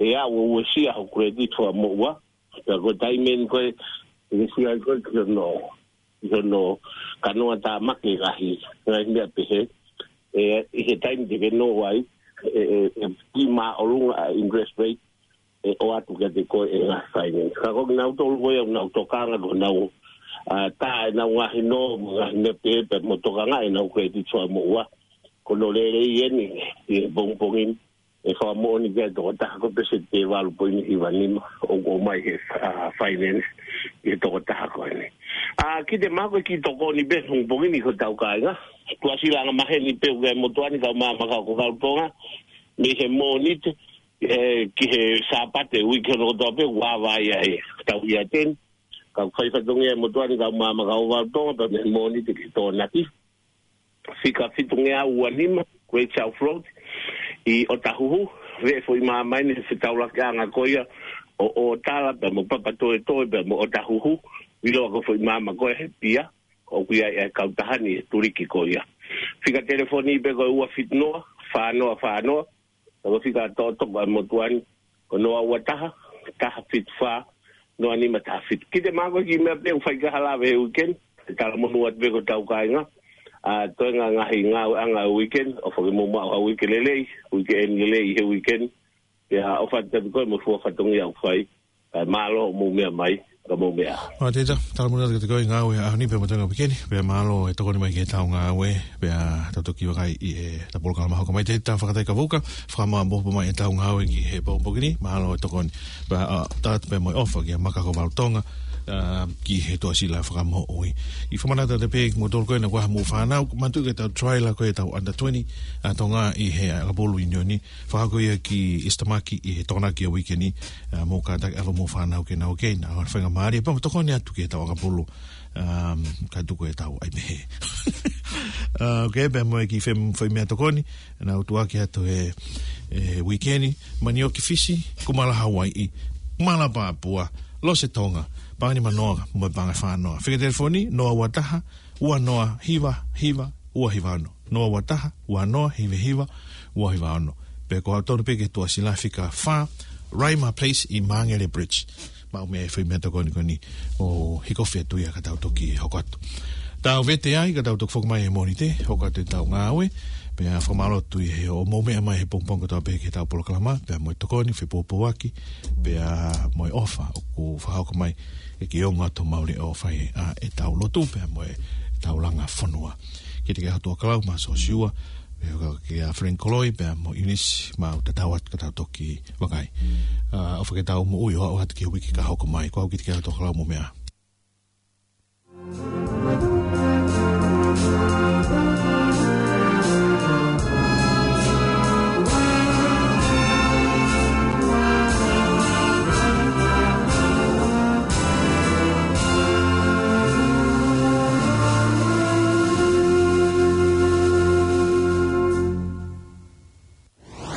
ʻe aʻu ʻo uesia ho credit fakamoʻua, pea ko e taimi eni ko ē, ʻe uesia ai koe ki hono, ki hono kanoa tāmaki e ngaahi, ngaahi meʻa pehē, ʻe, ʻi he taimi te ke nō ai, ʻe, ʻe, ʻe kiʻi māʻolunga ʻa e interest rate, ʻe ʻoatu kiate koe ʻe he ngaahi finance. Ka ko kinautolu ko ia ʻoku nau tokanga, ʻoku nau, ʻa, tā ʻenau ngaahi nō, mo e ngaahi meʻa pehē, pea mo tokangaʻi ʻenau credit fakamoʻua. Ko hono lelei eni, ʻi he pongipongi ni, ʻe fakamoʻoni ki ai e tokotaha ko e peseti ʻe valu poini hiva nima, ʻoku ʻomai he, ʻa, finance, ki he tokotaha ko eni. ʻA, ki te mako ki tokoni pē pongipongi ni ki hotau kāinga. Tuʻasila angamaheni pē ʻoku ʻi ai e motuʻa ni kae ʻumaʻā e Maka Hokovau Tonga, mei he Mōnite, ē, ki he Sāpate, uike hono kotoa pē, ʻoku ava ai ʻa e tau ia ten. Ka ʻoku fai fatongia e motuʻa ni kae ʻumaʻā e Maka Hokovau Tonga, pea mei he Mōnite ki Tokonaki. Fika fitungeau ua nima, Great South Road, ʻi ʻOtahuhu, veʻe foʻi māmani, he fetaulakiʻanga ko ia, ʻo, ʻo Tala, pea mo Papatoetoe, pea mo ʻOtahuhu, ʻiloa ko e foʻi māmani ko ē he pia, ʻoku ʻi ai e kautaha ni, he tuliki ko ia. Fika telefoni pē ko e ua fitu noa, fā noa fā noa, Ka ko e fika toʻotoʻo ʻa e motuʻa ni, ko e noa ua taha, taha fitu fā, noa nima taha fitu. Ki te mako ki meʻa pē ʻoku fai ki ai ha lave he uike ni, ʻe talamonū atu pē ki hotau kāinga. ʻA, toenga ngaahi ngāueʻanga he uike ni, ʻofa ke mou maʻu ha uike lelei, uike eni lelei he uike ni. Pea ʻofa atu kiate koe mo e fua fatongia ʻoku fai. Kae mālō hoʻomou meʻa mai, ka mou meʻa. ʻO tita, talamonū atu kiate koe ngāue ʻaho ni pea mo e toenga uike ni, pea mālō e tokoni mai ki heʻetau ngāue, pea tau toki vakai ʻi heʻetau polokalama hoko mai. Tita Fakatai Kavuka, fakamaʻopoʻopo mai ʻetau ngāue ki he pongipongi ni, mālō e tokoni. Pea, ʻa, tala atu pē mo e ʻofa kia Maka Hokovau Tonga, ʻa, ki he Tuʻasila Fakamoʻui. ʻI fakamanatu atu pē kimoutolu ko ena ʻoku ʻi ai haʻamou fānau, manatuʻi ko ʻetau trial ko ē ʻetau under twenty, ʻa, Tonga ʻi he ʻakapulu ʻIunioni, fakahoko ia ki East Tamaki ʻi he Tokonaki ʻo e uike ni, ʻa, mou kātaki ʻave hoʻomou fānau ke nau ō ki ai, ʻa, faingamālie, pea mo tokoni atu ki heʻetau ʻakapulu, um, ka tuku ʻetau ʻai pehē. ʻA, ʻoku ʻi ai pē mo e kiʻi fem-, foʻi meʻatokoni, naʻa ku tuʻuaki atu he, he uike ni, Manioki Fisi, Kumala Hauaiʻi, Kumala Pāpua, Lose Tonga, Pangani Manoa, mo e Pangani Fānoa. Fika telefoni, noa ua taha, ua noa hiva hiva, ua hiva ono. Noa ua taha, ua noa hiva hiva, ua hiva ono. Pea ko au tonu pē ke tuʻa sila fika fā, Rima Place ʻi Māngere Bridge. Maʻu mei ai e foʻi meʻatokoni ko eni ʻo hiko fetuia ka tau toki hoko atu. Tau vete ai, ka tau toki foki mai he Mōnite, hoko atu ʻetau ngāue, pea fakamālō atu ʻi he ʻoku mou meʻa mai he pongipongi kotoa pē ki heʻetau polokalama, pea mo e tokoni, fepuapuaki, pea mo e ʻofa ʻoku fakahoko mai, ʻe ke ongo atu maʻu e ʻofa ʻi he ʻetau lotu, pea mo ʻetau langa fonua. Kiate kia Tuʻakalau, Mā Sosiua, pea kia Frank Koloi, pea mo Eunice, mau tatau atu ka tau toki vakai. ʻA, ʻofa ke tau moʻui ʻo aʻu atu ki he uike ka hoko mai, ko au Kiate kia Tuʻakalau, mou meʻa ā.